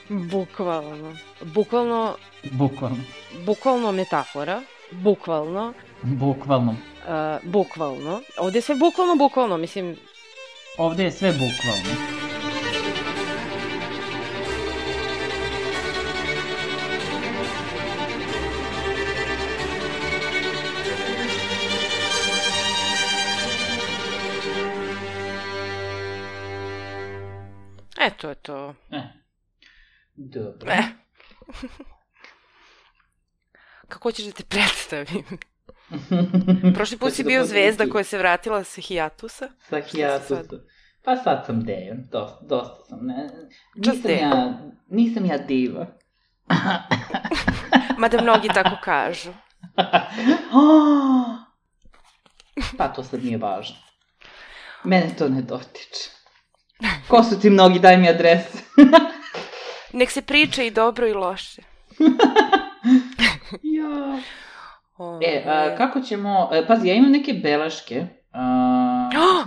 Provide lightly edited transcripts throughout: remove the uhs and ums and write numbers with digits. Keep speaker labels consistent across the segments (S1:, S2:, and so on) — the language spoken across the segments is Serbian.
S1: Bukvalno.
S2: Bukvalno
S1: metafora. Bukvalno.
S2: Bukvalno.
S1: Ovde je sve bukvalno, mislim...
S2: Ovde je sve bukvalno.
S1: To je to.
S2: Dobro.
S1: Kako ćeš da te predstavim? Prošli put si bio zvezda koja se vratila sa hijatusa.
S2: Sa hijatusa. Pa sad sam Dejan, dosta sam. Nisam ja diva.
S1: Mada mnogi tako kažu.
S2: Pa to sad nije važno. Mene to ne dotiče. Ko su ti mnogi, daj mi adrese.
S1: Nek se priča i dobro i loše.
S2: Ja. Kako ćemo... Pazi, ja imam neke beleške.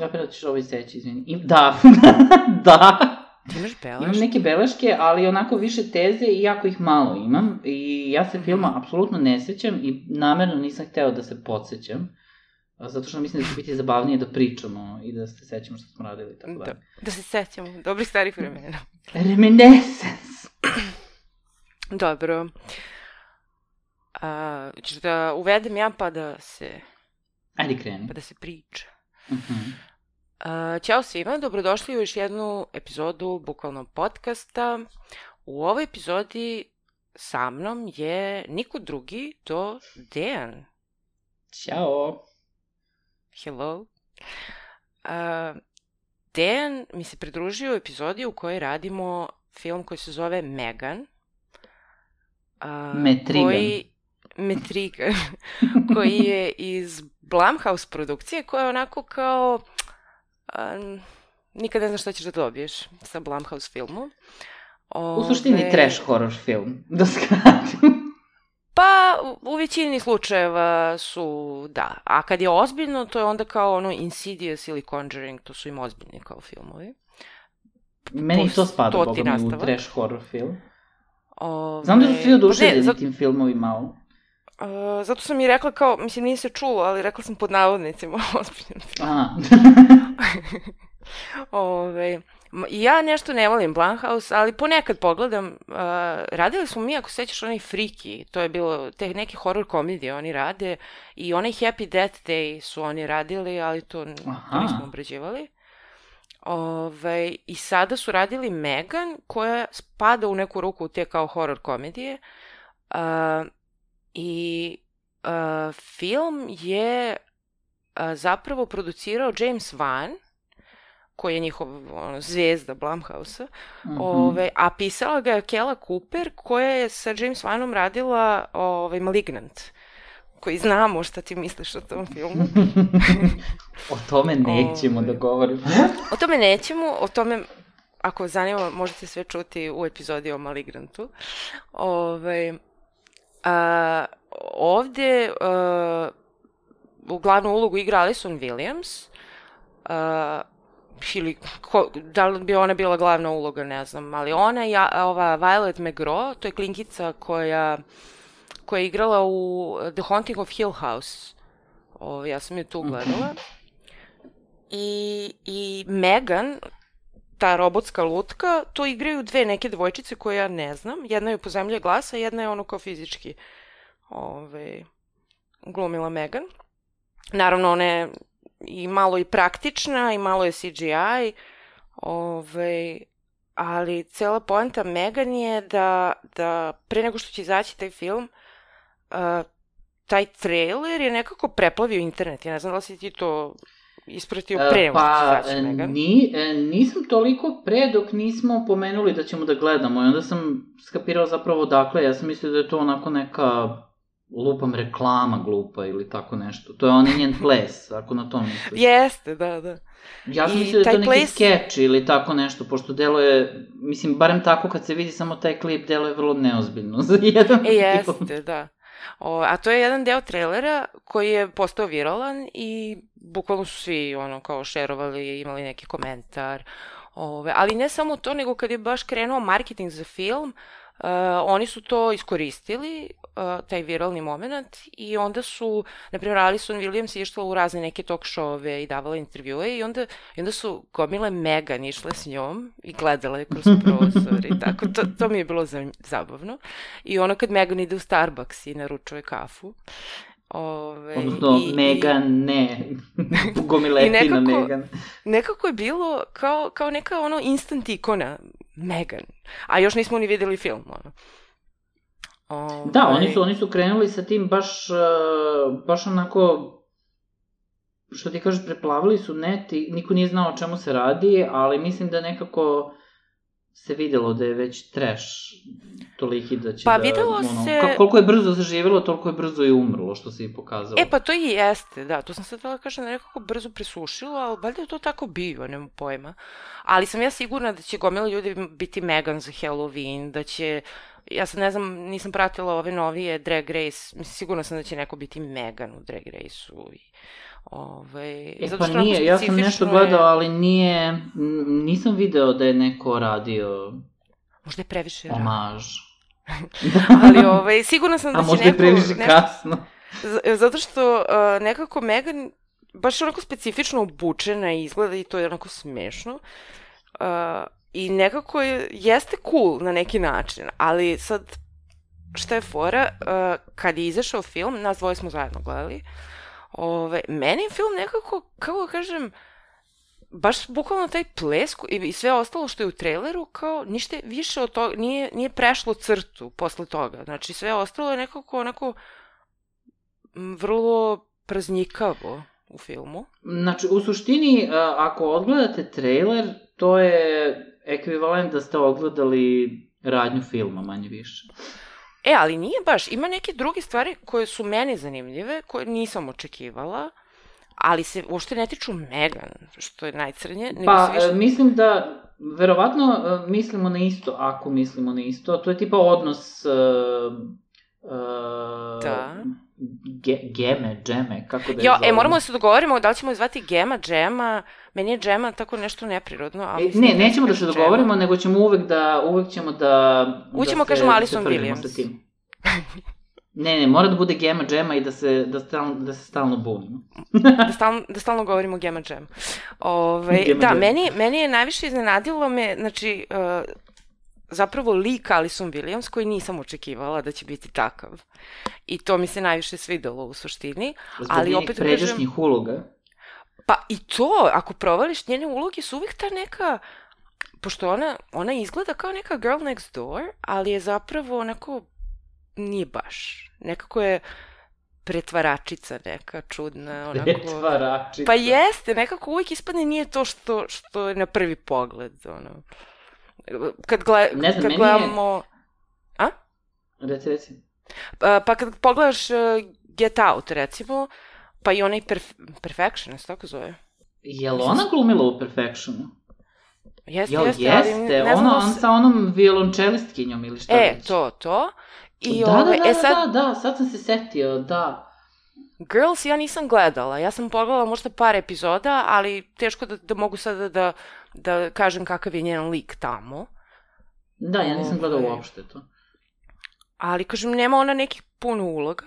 S2: Ja preda ćeš ovo iseći, izvini. Da.
S1: Ti imaš beleške?
S2: Imam neke beleške, ali onako više teze i jako ih malo imam. I ja se filma apsolutno ne sećam i namerno nisam hteo da se podsjećam. Zato što mislim da će biti zabavnije da pričamo i da se sećamo što smo radili. Tako da.
S1: Da se sećamo, dobrih starih vremena.
S2: Reminiscence.
S1: Dobro. Ćeš da uvedem ja pa da se...
S2: Ajde kreni.
S1: Pa da se priča. Ćao svima, dobrodošli u još jednu epizodu Bukvalno podcasta. U ovoj epizodi sa mnom je niko drugi do Dejan.
S2: Ćao.
S1: Hello. Dejan mi se pridružio u epizodi u kojoj radimo film koji se zove Megan. Metrigan. Koji je iz Blumhouse produkcije, koja je onako kao... nikad ne znaš šta ćeš da dobiješ sa Blumhouse filmom.
S2: U suštini trash horror film, da skratim.
S1: Pa, u većini slučajeva su, da. A kad je ozbiljno, to je onda kao ono Insidious ili Conjuring, to su im ozbiljni kao filmovi.
S2: Meni to spada, boga mi, u trash horror film. Znam da su svi oduševljeni tim filmovima malo.
S1: Zato sam i rekla kao, mislim nije se čulo, ali rekla sam pod navodnicima ozbiljno film. Ja nešto ne volim Blumhouse, ali ponekad pogledam, radili smo mi, ako sećaš, onaj Freaky, to je bilo, te neke horror komedije oni rade, i onaj Happy Death Day su oni radili, ali to nismo obrađivali. I sada su radili Megan, koja spada u neku ruku u te kao horror komedije, i film je zapravo producirao James Wan, koji je njihov zvezda Blumhouse-a, a pisala ga je Kela Cooper, koja je sa James Wanom radila Malignant, koji znamo šta ti misliš o tom filmu.
S2: O tome nećemo da govorimo.
S1: O tome, ako zanima, možete sve čuti u epizodi o Maligrantu. Ovde u glavnu ulogu igra Alison Williams, ili da li bi ona bila glavna uloga, ne znam, ali ona i ova Violet McGraw, to je klinkica koja je igrala u The Haunting of Hill House. Ja sam je tu gledala. I Megan, ta robotska lutka, to igraju dve neke devojčice koje ja ne znam. Jedna je po zemlji glasa, jedna je ono kao fizički glumila Megan. Naravno, ona je i malo i praktična i malo je CGI, ali cela poenta Megan je da pre nego što će izaći taj film, taj trailer je nekako preplavio internet. Ja ne znam da li si ti to ispratio pre nego što će izaći Megan.
S2: Nisam toliko pre dok nismo pomenuli da ćemo da gledamo i onda sam skapirao zapravo odakle. Ja sam mislio da je to onako neka lupam reklama glupa ili tako nešto. To je on njen ples, ako na to misliš.
S1: Jeste, da.
S2: Ja sam mislio da je to neki skeč ili tako nešto, pošto deluje, mislim, barem tako kad se vidi samo taj klip, deluje vrlo neozbiljno za jedan film.
S1: Jeste, da. A to je jedan deo trailera koji je postao viralan i bukvalno su svi kao šerovali, imali neki komentar. Ali ne samo to, nego kad je baš krenuo marketing za film, oni su to iskoristili, taj viralni moment, i onda su, na primjer, Alison Williams išla u razne neke talk showove i davala intervjue i onda su gomile Megan išle s njom i gledala je kroz prozor i tako. To mi je bilo zabavno. I ono kad Megan ide u Starbucks i naručuje kafu.
S2: Odnosno, Megan, ne. Gomiletina Megan.
S1: Nekako je bilo kao neka instant ikona Megan. A još nismo ni videli film,
S2: Da, oni su krenuli sa tim baš onako, što ti kažeš, preplavili su net i niko nije znao o čemu se radi, ali mislim da nekako se videlo da je već trash toliki da će
S1: pa videlo se...
S2: Koliko je brzo zaživjelo, toliko je brzo i umrlo, što se i pokazalo.
S1: Pa to i jeste, da, to sam sad htjela kažem da nekako brzo presušilo, ali valjda je to tako bio, nema pojma. Ali sam ja sigurna da će gomila ljudi biti Megan za Halloween, da će... Ja sad ne znam, nisam pratila ove novije Drag Race, sigurno sam da će neko biti Megan u Drag Race-u.
S2: Pa nije, ja sam nešto gledao, ali nisam video da je neko radio...
S1: Možda je previše
S2: omaž.
S1: Ali sigurno sam da će neko...
S2: A možda je previše kasno.
S1: Zato što nekako Megan baš onako specifično obučena izgleda i to je onako smešno. I nekako jeste cool na neki način, ali sad šta je fora, kad je izašao film, nas dvoje smo zajedno gledali, meni je film nekako, kako da kažem, baš bukvalno taj ples i sve ostalo što je u traileru, kao ništa više od toga, nije prešlo crtu posle toga. Znači sve ostalo je nekako onako vrlo praznikavo u filmu.
S2: Znači, u suštini, ako odgledate trailer, to je ekvivalent da ste odgledali radnju filma, manje više.
S1: Ali nije baš. Ima neke druge stvari koje su meni zanimljive, koje nisam očekivala, ali se uopšte ne tiču Megan, što je najcrnje.
S2: Mislim da, verovatno mislimo na isto, ako mislimo na isto. To je tipa odnos...
S1: Da.
S2: Džeme, kako da je zovemo?
S1: Moramo da se dogovorimo da li ćemo zvati Gema, Džema. Meni je Džema tako nešto neprirodno. Ali
S2: nećemo da se dogovorimo, nego ćemo uvek ćemo da...
S1: Ućemo, kažemo Alison Williams.
S2: Ne, mora da bude Gema, Džema i da se stalno bunimo.
S1: Da stalno govorimo Gema, Džema. Da, meni je najviše iznenadilo me, znači... zapravo lik Alison Williams, koji nisam očekivala da će biti takav. I to mi se najviše svidelo u suštini.
S2: Zbog njenih pređašnjih uloga?
S1: Pa i to, ako provališ, njene uloge su uvijek ta neka... Pošto ona izgleda kao neka girl next door, ali je zapravo onako... Nije baš. Nekako je pretvaračica neka čudna.
S2: Pretvaračica?
S1: Pa jeste, nekako uvijek ispadne nije to što je na prvi pogled, Kad gledamo... A?
S2: Reci.
S1: Pa kad pogledaš Get Out, recimo, pa i onaj Perfectionist, tako zove.
S2: Je li ona glumila u Perfectionu?
S1: Jeste.
S2: On sa onom violončelistkinjom ili šta već?
S1: To.
S2: Da, sad sam se setio, da.
S1: Girls ja nisam gledala, ja sam pogledala možda par epizoda, ali teško da mogu sada da kažem kakav je njen lik tamo.
S2: Da, ja nisam gledala uopšte to.
S1: Ali, kažem, nema ona nekih puno uloga,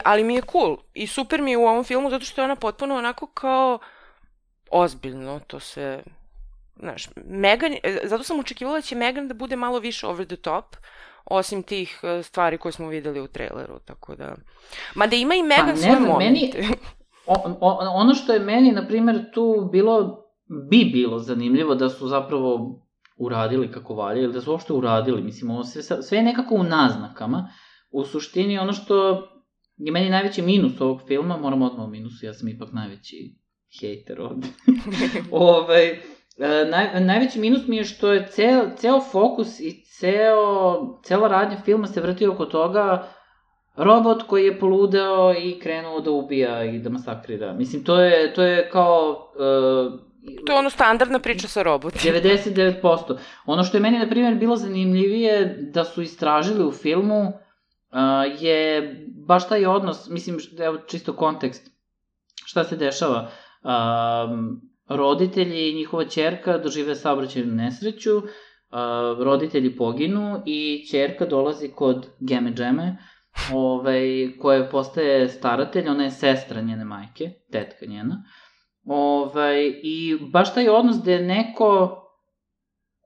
S1: ali mi je cool. I super mi je u ovom filmu, zato što je ona potpuno onako kao ozbiljno, to se... Znaš, Megan, zato sam očekivala da će Megan da bude malo više over the top, osim tih stvari koje smo videli u traileru, tako da... Mada ima i Megan svoje momente.
S2: Ono što je meni, na primjer, tu bi bilo zanimljivo da su zapravo uradili kako valje, ili da su uopšte uradili, mislim, ovo sve je nekako u naznakama. U suštini, ono što je meni najveći minus ovog filma, moram odmah o minusu, ja sam ipak najveći hejter ovde. Najveći minus mi je što je ceo fokus i cela radnja filma se vrti oko toga robot koji je poludeo i krenuo da ubija i da masakrira. Mislim, to je kao...
S1: To je ono standardna priča sa robotima.
S2: 99%. Ono što je meni, na primjer, bilo zanimljivije da su istražili u filmu je baš taj odnos, mislim, evo čisto kontekst, šta se dešava. roditelji i njihova ćerka dožive saobraćajnu nesreću, roditelji poginu i ćerka dolazi kod Geme Džeme, koja postaje staratelj, ona je sestra njene majke, tetka njena. I baš taj odnos gde je neko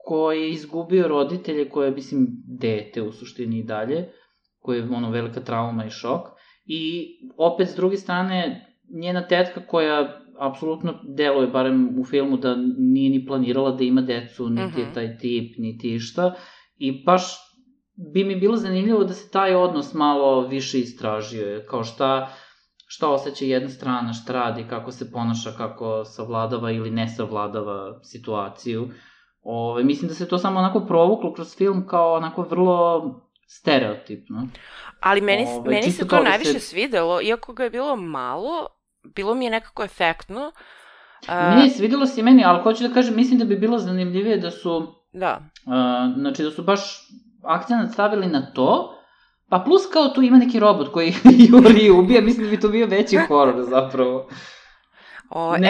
S2: ko je izgubio roditelje, koje je, mislim, dete u suštini i dalje, koje je velika trauma i šok. I opet, s druge strane, njena tetka koja apsolutno deluje, barem u filmu, da nije ni planirala da ima decu, niti je taj tip, niti išta. I baš bi mi bilo zanimljivo da se taj odnos malo više istražio. Kao šta osjeća jedna strana, šta radi, kako se ponaša, kako savladava ili ne savladava situaciju. Mislim da se to samo onako provuklo kroz film kao onako vrlo stereotipno.
S1: Ali meni se to najviše svidelo, iako ga je bilo malo, bilo mi je nekako efektno.
S2: Ne, svidelo se i meni, ali hoću da kažem, mislim da bi bilo zanimljivije da su...
S1: Da.
S2: Znači da su baš akcenat stavili na to, pa plus kao tu ima neki robot koji juri i ubija, mislim da bi to bio veći horor zapravo.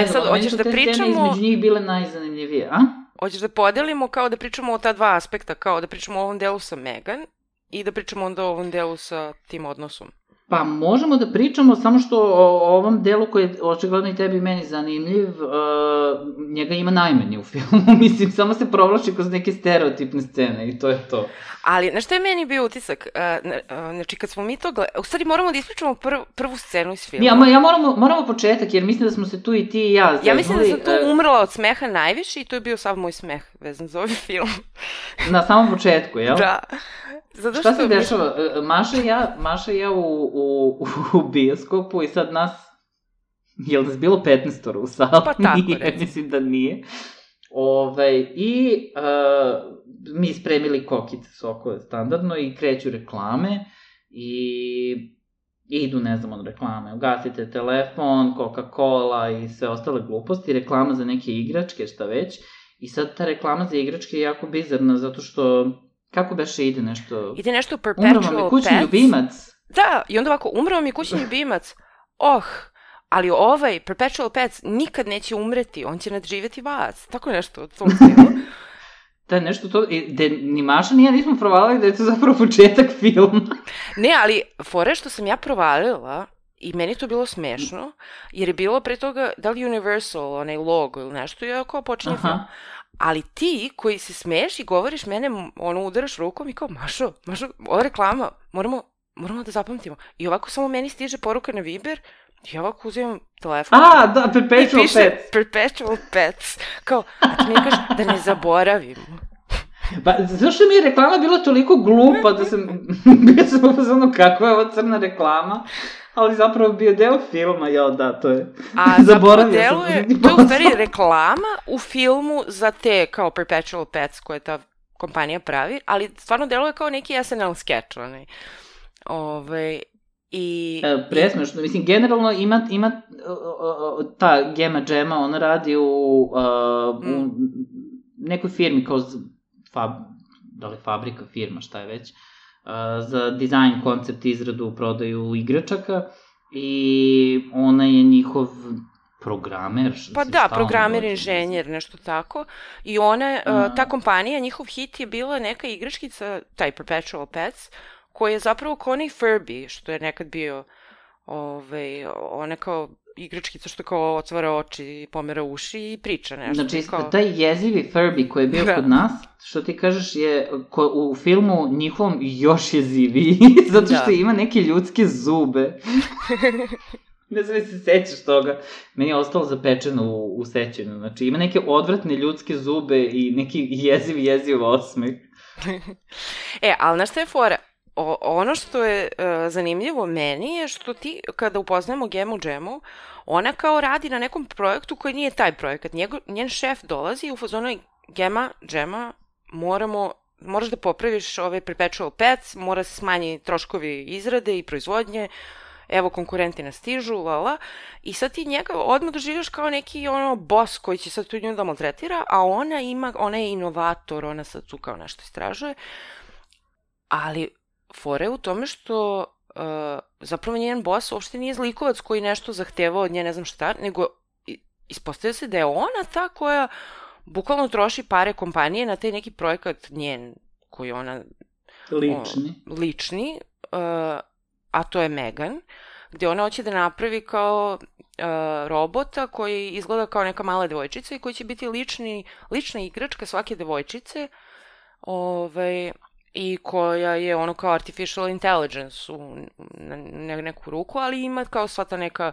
S1: Sad, hoćeš da pričamo... Meni su te scene
S2: između njih bile najzanimljivije, a?
S1: Hoćeš da podelimo kao da pričamo o ta dva aspekta, kao da pričamo o ovom delu sa Megan i da pričamo onda o ovom delu sa tim odnosom?
S2: Pa možemo da pričamo, samo što o ovom delu koji je očigledno i tebi i meni zanimljiv, njega ima najmanje u filmu, mislim, samo se provlači kroz neke stereotipne scene i to je to.
S1: Ali, na što je meni bio utisak? Znači, kad smo mi to gledali, u stvari moramo da ispričamo prvu scenu iz filma.
S2: Ja moramo početak, jer mislim da smo se tu i ti i ja zeznuli.
S1: Ja mislim da sam tu umrla od smeha najviše i to je bio sav moj smeh vezan za ovaj film.
S2: Na samom početku, jel?
S1: Da.
S2: Šta se dešava? Maša i ja u bioskopu i sad nas, je li nas bilo 15 u sali?
S1: Pa tako,
S2: nije, mislim da nije. Mi spremili kokice, sokove standardno i kreću reklame i idu, ne znam, od reklame. Ugasite telefon, Coca-Cola i sve ostale gluposti, reklama za neke igračke, šta već. I sad ta reklama za igračke je jako bizarna, zato što kako beše ide nešto...
S1: Ide nešto Perpetual Pets.
S2: Umro mi kućni ljubimac.
S1: Da, i onda ovako, umro mi kućni ljubimac. Ali ovaj Perpetual Pets nikad neće umreti, on će nadživjeti vas. Tako nešto od tom stilu.
S2: Da, nešto to... Ni Maša ni ja nismo provalili da je to zapravo početak filma.
S1: Ne, ali fore što sam ja provalila, i meni to bilo smešno, jer je bilo pre toga, da li Universal, onaj logo ili nešto, i ako počinje film. Ali ti koji se smeješ i govoriš mene, udaraš rukom i kao, Mašo, ova reklama, moramo da zapamtimo. I ovako samo meni stiže poruka na Viber, i ovako uzimam telefon.
S2: Da, Perpetual Pets.
S1: Perpetual Pets. Kao, a ti mi kažeš da ne zaboravim.
S2: Pa, zašto mi je reklama bila toliko glupa da sam upozorno kako je ovo crna reklama, ali zapravo bio deo filma, to je...
S1: A zapravo to je u stvari reklama u filmu za te kao Perpetual Pets koje ta kompanija pravi, ali stvarno deluje kao neki SNL sketch, onaj.
S2: Presmešno, mislim, generalno ima ta Gema Džema, ona radi u nekoj firmi kao da li fabrika, firma, šta je već, za dizajn, koncept, izradu, prodaju igračaka i ona je njihov programer.
S1: Pa da, programer, inženjer, nešto tako. I ona, ta kompanija, njihov hit je bila neka igračkica, taj Perpetual Pets, koji je zapravo kao onaj Furby, što je nekad bio ona kao igračkica što kao otvara oči i pomera uši i priča nešto.
S2: Znači, taj jezivi Furby koji je bio kod nas, što ti kažeš je u filmu njihovom još jeziviji, zato što ima neke ljudske zube. Ne znam se sećaš toga. Meni je ostalo zapečeno u sećanju. Znači, ima neke odvratne ljudske zube i neki jeziv osmeh.
S1: Ali na što je fora? Ono što je zanimljivo meni je što ti, kada upoznajemo Gemu Džemu, ona kao radi na nekom projektu koji nije taj projekat. Njen šef dolazi i u fazonu Džema, moraš da popraviš ove Perpetual Pets, mora se smanji troškovi izrade i proizvodnje, evo konkurenti nas stižu, i sad ti njega odmah doživljaš kao neki boss koji će sad tu nju da maltretira, a ona je inovator, ona sad tu kao nešto istražuje, ali fora je u tome što zapravo njen boss uopšte nije zlikovac koji nešto zahteva od nje, ne znam šta, nego ispostavlja se da je ona ta koja bukvalno troši pare kompanije na taj neki projekat njen koji ona lični, a to je Megan, gde ona hoće da napravi kao robota koji izgleda kao neka mala devojčica i koji će biti lična igračka svake devojčice, i koja je ono kao artificial intelligence na neku ruku, ali ima kao sva ta neka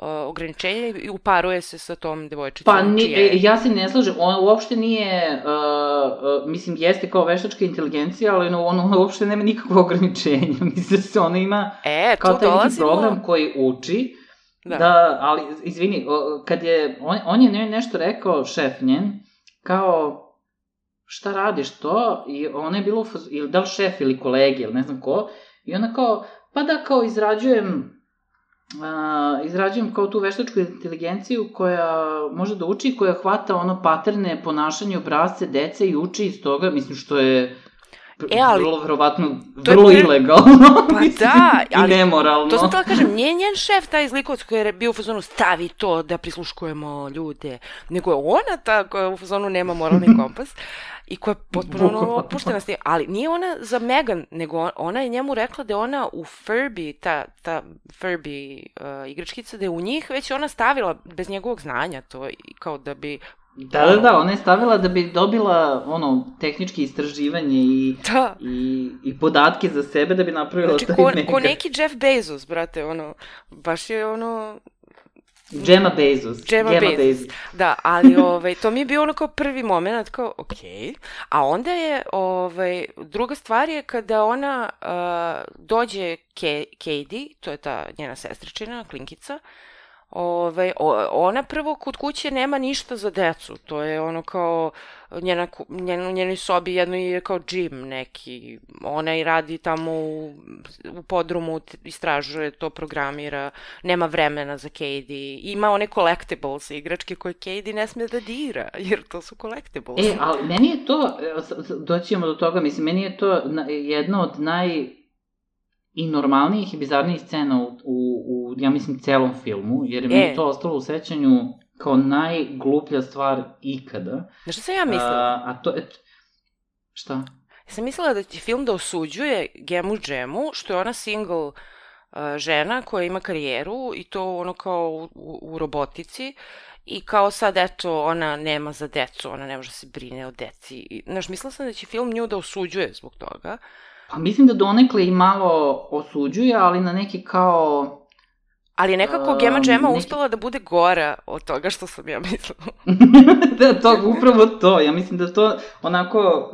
S1: ograničenja i uparuje se sa tom devojčicom.
S2: Pa ja se ne slažem, ona uopšte nije, mislim, jeste kao veštačka inteligencija, ali ona uopšte nema nikakve ograničenja. Mislim da se ona ima kao taj neki program koji uči, ali, izvini, kad je, on je nešto rekao, šef njen, kao, šta radiš to? I ona je bilo, ili da li šef ili kolegi, ili ne znam ko, i ona kao, pa da, kao izrađujem kao tu veštačku inteligenciju koja može da uči, koja hvata ono paterne, ponašanje, obrazce, dece i uči iz toga, mislim što je vrlo verovatno, vrlo ilegalno, i nemoralno.
S1: To sam tela kažem, nije njen šef taj zlikovac koji je bio u fazonu stavi to da prisluškujemo ljude, nego je ona ta koja u fazonu nema moralni kompas i koja je potpuno opuštena s tim, ali nije ona za Megan, nego ona je njemu rekla da je ona u Furby, ta Furby igračkica, da je u njih već ona stavila bez njegovog znanja to, kao da bi...
S2: Da, ona je stavila da bi dobila tehničke istraživanje i podatke za sebe da bi napravila taj Megan.
S1: Ko neki Jeff Bezos, brate, baš je
S2: Gemma Bezos.
S1: Da, ali to mi je bio kao prvi moment, kao okej. A onda je, druga stvar je kada ona dođe Katie, to je ta njena sestričina, klinkica, ona prvo kod kuće nema ništa za decu, to je kao u njenoj sobi jedno je kao džim neki, ona i radi tamo u podrumu, istražuje to, programira, nema vremena za Katie, ima one collectibles, igračke koje Katie ne sme da dira, jer to su collectibles.
S2: Ali meni je to, doćemo do toga, mislim, meni je to jedno od i normalnijih i bizarnijih scena u ja mislim, celom filmu, jer je mi to ostalo u sećanju kao najgluplja stvar ikada.
S1: Znaš šta sam ja mislila?
S2: A to je... Šta?
S1: Ja sam mislila da će film da osuđuje Gemu Džemu, što je ona single žena koja ima karijeru i to kao u robotici, i kao sad, eto, ona nema za decu, ona ne može se brine o deci. Znaš, mislila sam da će film nju da osuđuje zbog toga.
S2: Pa mislim da donekle i malo osuđuje, ali na neki kao...
S1: Ali je nekako Gema Džema uspela da bude gora od toga što sam ja mislila.
S2: Da, upravo to. Ja mislim da to onako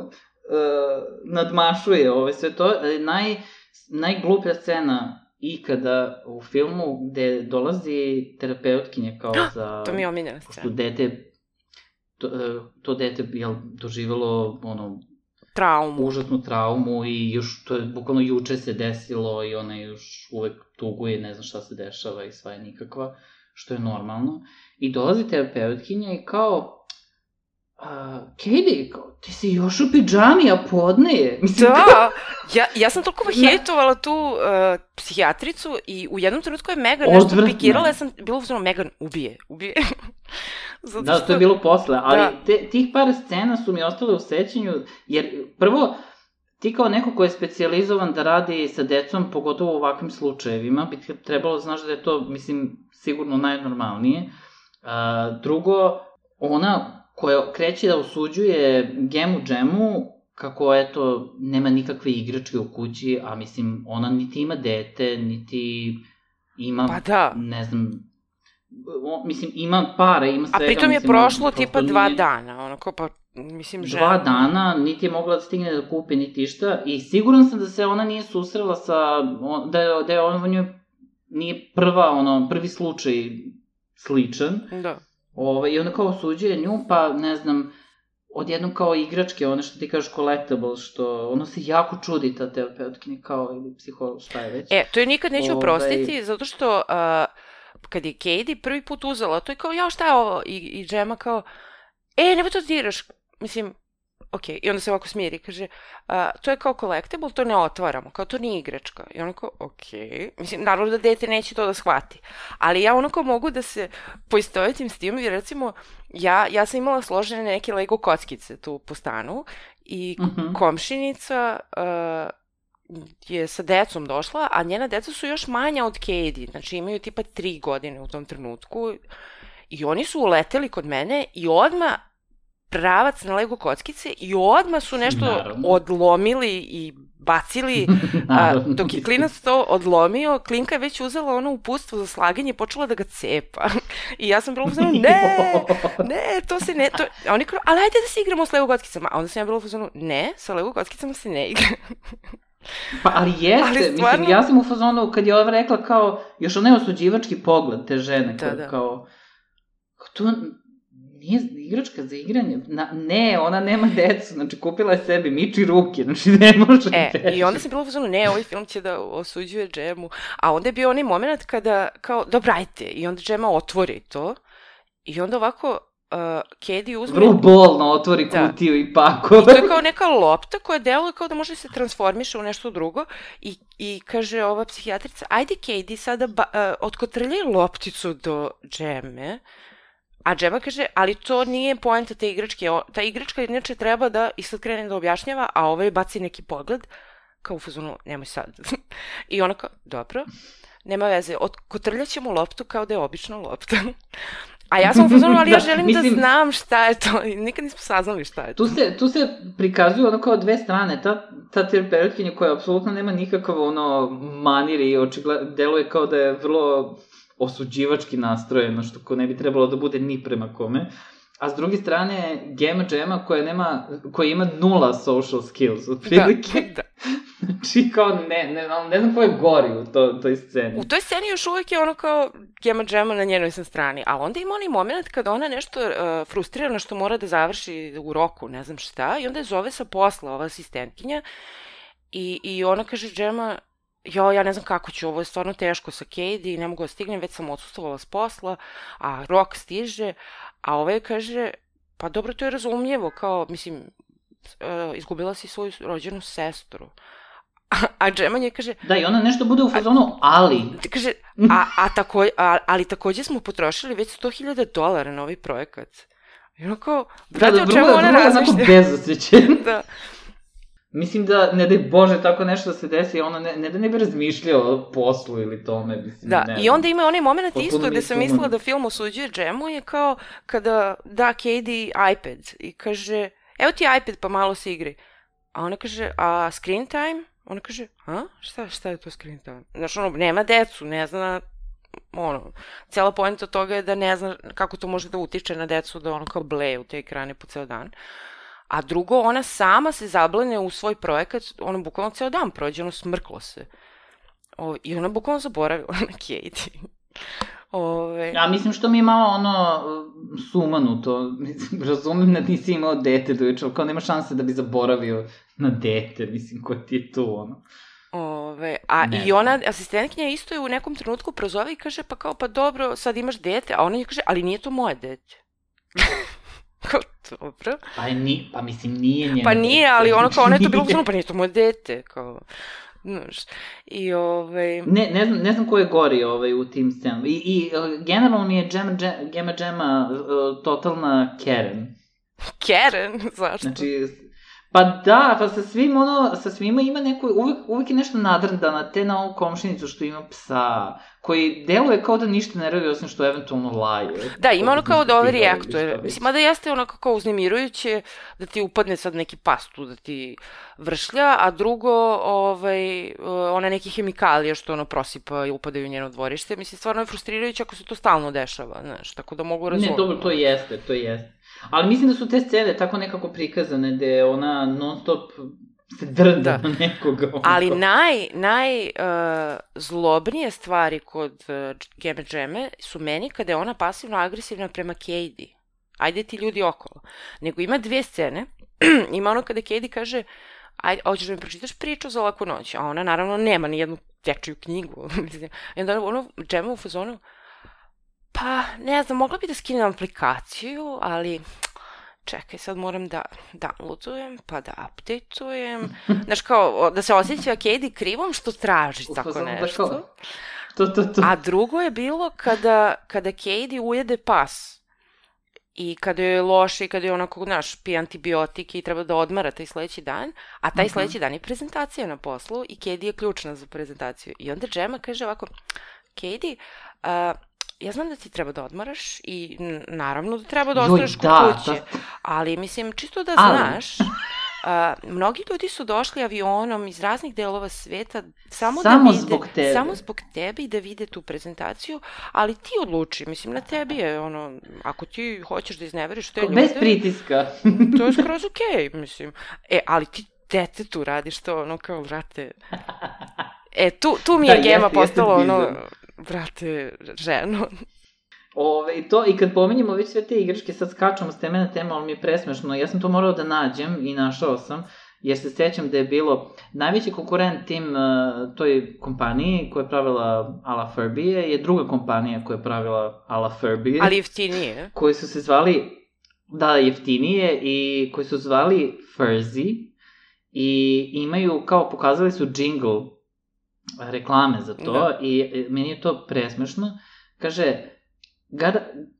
S2: nadmašuje sve to. Najgluplja scena ikada u filmu gde dolazi terapeutkinja kao za...
S1: To mi je omiljena scena.
S2: To dete je doživjelo užasnu traumu i još, to je bukvalno juče se desilo i ona još uvek tuguje, ne zna šta se dešava i sva je nikakva, što je normalno. I dolazi terapeutkinja i kao, Katie, ti si još u pidžami, a podne je.
S1: Da, ja sam toliko hejtovala tu psihijatricu i u jednom trenutku je Megan nešto pikirala, ja sam bila uzmano, Megan, ubije.
S2: Da, to je bilo posle, ali tih par scena su mi ostale u sećanju, jer prvo, ti kao neko ko je specijalizovan da radi sa decom, pogotovo u ovakvim slučajevima, bi trebalo znaš da je to, mislim, sigurno najnormalnije. Drugo, ona koja kreće da osuđuje Gemu Džemu, kako, eto, nema nikakve igračke u kući, a mislim, ona niti ima dete, niti ima, ne znam, mislim, ima pare, ima svega.
S1: A pritom je prošlo tipa 2 dana, onako, pa, mislim, žena.
S2: 2 dana, niti je mogla da stigne da kupi, niti išta, i siguran sam da se ona nije susrela sa, da je on njoj nije prvi slučaj sličan.
S1: Da.
S2: I onda kao osuđuje nju, pa, ne znam, odjednom kao igračke, one što ti kažeš collectible, što ono se jako čudi ta terapeutkinja kao, ili psiholog, šta je već.
S1: To je nikad neću oprostiti, zato što kad je Katie prvi put uzela, to je kao, šta je ovo? I Gemma kao, nemoj to diraš, mislim, ok, i onda se ovako smiri, kaže, to je kao collectible, to ne otvaramo, kao to nije igračka. I ono kao, ok, mislim, naravno da dete neće to da shvati, ali ja ono kao mogu da se poistovetim s tim, jer recimo, ja sam imala složene neke Lego kockice tu po stanu i komšinica je sa decom došla, a njena deca su još manja od Katie, znači imaju tipa 3 godine u tom trenutku i oni su uleteli kod mene i odmah pravac na Lego kockice i odmah su nešto odlomili i bacili, dok je klinac to odlomio, klinka je već uzela ono uputstvo za slaganje i počela da ga cepa. I ja sam bila u fazonu, ne, to se ne, a oni kao, ali ajde da se igramo s Lego kockicama. A onda sam ja bila u fazonu, ne, sa Lego kockicama se ne igra.
S2: Pa, ali jeste, stvarno... mislim, ja sam u fazonu, kad je ova rekla kao, još onaj osuđivački pogled te žene, kao, to nije igračka za igranje, ne, ona nema decu, znači kupila je sebi, miči ruke, znači ne može
S1: i onda sam bila u fazonu, ne, ovaj film će da osuđuje Džemu, a onda je bio onaj moment kada, kao, dobro, ajte, i onda Džema otvori to, i onda ovako, Katie uzme...
S2: Vrlo bolno otvori kutiju i pakove.
S1: I to je kao neka lopta koja deluje kao da može da se transformiše u nešto drugo i kaže ova psihijatrica, ajde Katie sada otkotrljaj lopticu do Džeme, a Džema kaže, ali to nije poenta te igračke, ta igračka inače treba da i sad krene da objašnjava, a ovaj baci neki pogled, kao u fazonu, nemoj sad. I ona kao, dobro, nema veze, otkotrljat ćemo loptu kao da je obična lopta. A ja sam u fazonu, ali ja želim da znam šta je to. Nikad nismo saznali šta je to.
S2: Tu se prikazuju ono kao dve strane. Ta terapeutinja koja apsolutno nema nikakav ono manir i deluje kao da je vrlo osuđivački nastrojeno, što ko ne bi trebalo da bude ni prema kome. A s druge strane, Gemma Džema koja ima 0 social skills, otprilike. Da. Znači, kao, ne znam ko je gori u toj sceni.
S1: U toj sceni još uvijek je ono kao Gemma Džema na njenoj sam strani, a onda ima onaj moment kada ona nešto frustrirana što mora da završi u roku, ne znam šta, i onda je zove sa posla ova asistentkinja i ona kaže Džema, ja ne znam kako ću, ovo je stvarno teško sa Katie, ne mogu da stignem, već sam odsustovala s posla, a rok stiže, a ovaj kaže, pa dobro, to je razumljivo, kao, mislim, izgubila si svoju rođenu sestru. A Džema nje kaže...
S2: Da, i ona nešto bude u fazonu, ali...
S1: Kaže, ali takođe smo potrošili već $100,000 na ovaj projekat. I ono kao, brate, o čemu ona razmišlja?
S2: Da, vrlo bezosjećen.
S1: Da.
S2: Mislim da, ne daj Bože, tako nešto da se desi, ono ne da ne bi razmišljao o poslu ili tome, mislim,
S1: da, i onda ima onaj moment isto gde sam mislila da film osuđuje Džemu, je kao kada da Katie iPad i kaže, evo ti iPad pa malo se igri. A ona kaže, a screen time? Ona kaže, šta je to screen time? Znaš, ono, nema decu, ne zna, ono, cijela poenta toga je da ne zna kako to može da utiče na decu, da ono kao bleje u te ekrane po ceo dan. A drugo, ona sama se zablene u svoj projekat, ona bukvalno ceo dan prođe, ono smrklo se. I ona bukvalno zaboravila na Katie.
S2: Ja mislim što mi je malo ono sumanuto, razumem da nisi imao dete dojuče, ali kao nema šanse da bi zaboravio na dete, mislim, ko ti je tu, ono.
S1: I ona, asistentkinja isto je u nekom trenutku prozove i kaže, pa dobro, sad imaš dete, a ona je kaže, ali nije to moje dete. Kao, dobro.
S2: Pa mislim, nije njeno dete.
S1: Pa nije, ali ono kao, ona je to bilo pa nije to moje dete, kao... I
S2: Ne znam ko je gori u tim scenama. I generalno mi je Gemma Džema totalna Karen.
S1: Karen? Zašto?
S2: Znači, pa da, pa sa svima ima neko, uvijek je nešto nadrndana, te na ovu komšinicu što ima psa, koji deluje kao da ništa ne radi, osim što eventualno laje.
S1: Da, ima ono kao da overreaktuje. Mislim, mada jeste ono kao uznemirujuće da ti upadne sad neki pas tu da ti vršlja, a drugo, ona neki hemikalije što ono prosipa i upadaju u njeno dvorište. Mislim, stvarno je frustrirajuće ako se to stalno dešava, znaš, tako da mogu razumjeti.
S2: Ne, dobro, to jeste. Ali mislim da su te scene tako nekako prikazane, gde ona non stop se drda na nekoga.
S1: Ali najzlobnije stvari kod Gemma Džeme su meni kada je ona pasivno-agresivna prema Katie. Ajde ti ljudi okolo. Nego ima 2 scene. Ima ono kada Katie kaže, ajde, hoćeš da mi pročitaš priču za laku noć. A ona naravno nema ni jednu dječju knjigu. I onda ono Džema u fazonu, pa ne znam, mogla bi da skinem aplikaciju, ali čekaj, sad moram da downloadujem, pa da updateujem. Znaš, kao, da se osjeća Katie krivom što traži tako nešto.
S2: To.
S1: A drugo je bilo kada Katie ujede pas. I kada je loše i kada je onako, znaš, pije antibiotike i treba da odmara taj sledeći dan, a taj sledeći dan je prezentacija na poslu i Katie je ključna za prezentaciju. I onda Gemma kaže ovako, Katie, ja znam da ti treba da odmaraš i naravno da treba da ostaneš kod kuće, ali mislim, čisto da znaš, mnogi ljudi su došli avionom iz raznih delova sveta samo zbog tebe i da vide tu prezentaciju, ali ti odluči, mislim, na tebi je ono, ako ti hoćeš da izneveriš te ljude...
S2: Bez pritiska.
S1: To je skroz okej, mislim. Ali ti detetu radiš to, ono, kao, vrate... tu mi je Gemma postala, ono, vrate, ženo.
S2: I kad pominjemo već sve te igračke, sad skačemo s teme na temu, ali mi je presmešno. Ja sam to morao da nađem i našao sam, jer se sećam da je bilo najveći konkurent toj kompaniji koja je pravila a la Furby je druga kompanija koja je pravila a la Furby.
S1: Ali jeftinije.
S2: Koji su se zvali, jeftinije, i koji su zvali Furzy i imaju, kao pokazali su jingle reklame za to i meni je to presmešno. Kaže,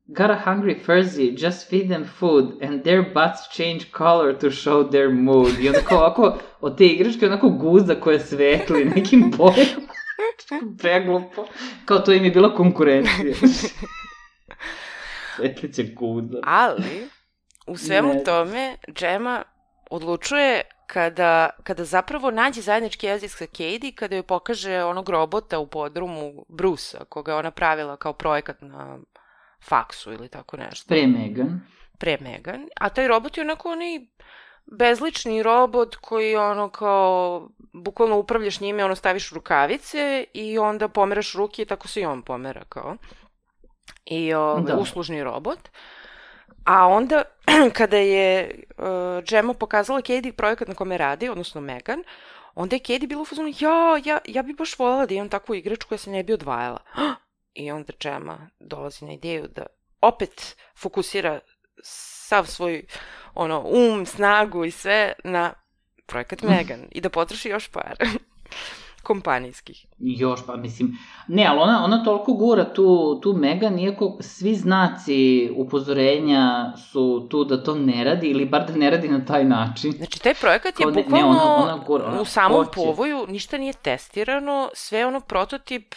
S2: got a hungry Furzy, just feed them food and their butts change color to show their mood. I onda kao ovako, od te igračke onako guza koja svetli nekim bojama. Preglupo. Kao to im je bila konkurencija. Svetlića guza.
S1: Ali, u svemu tome, Gemma odlučuje kada zapravo nađe zajednički jezik sa Katie, kada joj pokaže onog robota u podrumu Brusa, koga je ona pravila kao projekat na faksu ili tako nešto.
S2: Pre
S1: Megan. A taj robot je onako onaj bezlični robot koji ono kao, bukvalno upravljaš njime, ono staviš rukavice i onda pomeraš ruke i tako se i on pomera kao. I uslužni robot. A onda, kada je Gemma pokazala Katie projekat na kome radi, odnosno Megan, onda je Katie bila u fazonu, ja bi baš voljela da imam takvu igračku koja se ne bi odvajala. I onda Gemma dolazi na ideju da opet fokusira sav svoj snagu i sve na projekat Megan i da potroši još par kompanijskih.
S2: Ne, ali ona toliko gura tu Megan, iako svi znaci upozorenja su tu da to ne radi, ili bar da ne radi na taj način.
S1: Znači, taj projekat je bukvalno u samom povoju, ništa nije testirano, sve ono prototip,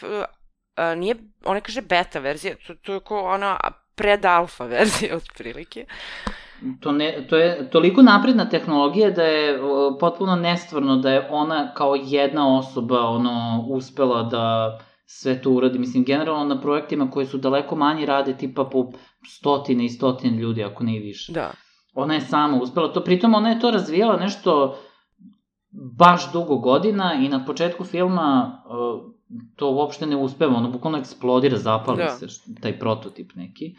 S1: nije, ona kaže beta verzija, to je kao ona pred-alfa verzija, otprilike.
S2: To je toliko napredna tehnologija da je potpuno nestvarno da je ona kao jedna osoba uspela da sve to uradi. Mislim, generalno na projektima koji su daleko manji rade tipa po stotine i stotine ljudi, ako ne i više.
S1: Da.
S2: Ona je sama uspela to, pritom ona je to razvijala nešto baš dugo godina i na početku filma to uopšte ne uspeva, ono bukvalno eksplodira, zapali se taj prototip neki.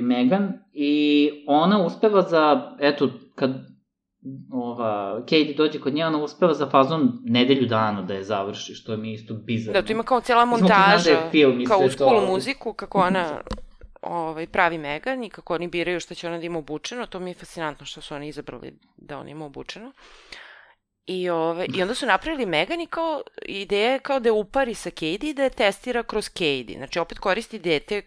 S2: Megan, i ona uspeva za, kad Katie dođe kod nje, ona uspeva za fazon nedelju dana da je završi, što mi je isto bizarno.
S1: Da, tu ima kao cijela montaža, kao u School muziku, kako ona pravi Megan i kako oni biraju što će ona da ima obučeno, to mi je fascinantno što su oni izabrali da ona ima obučeno. I onda su napravili Megan i kao ideja je kao da je upari sa Katie i da je testira kroz Katie. Znači, opet koristi dete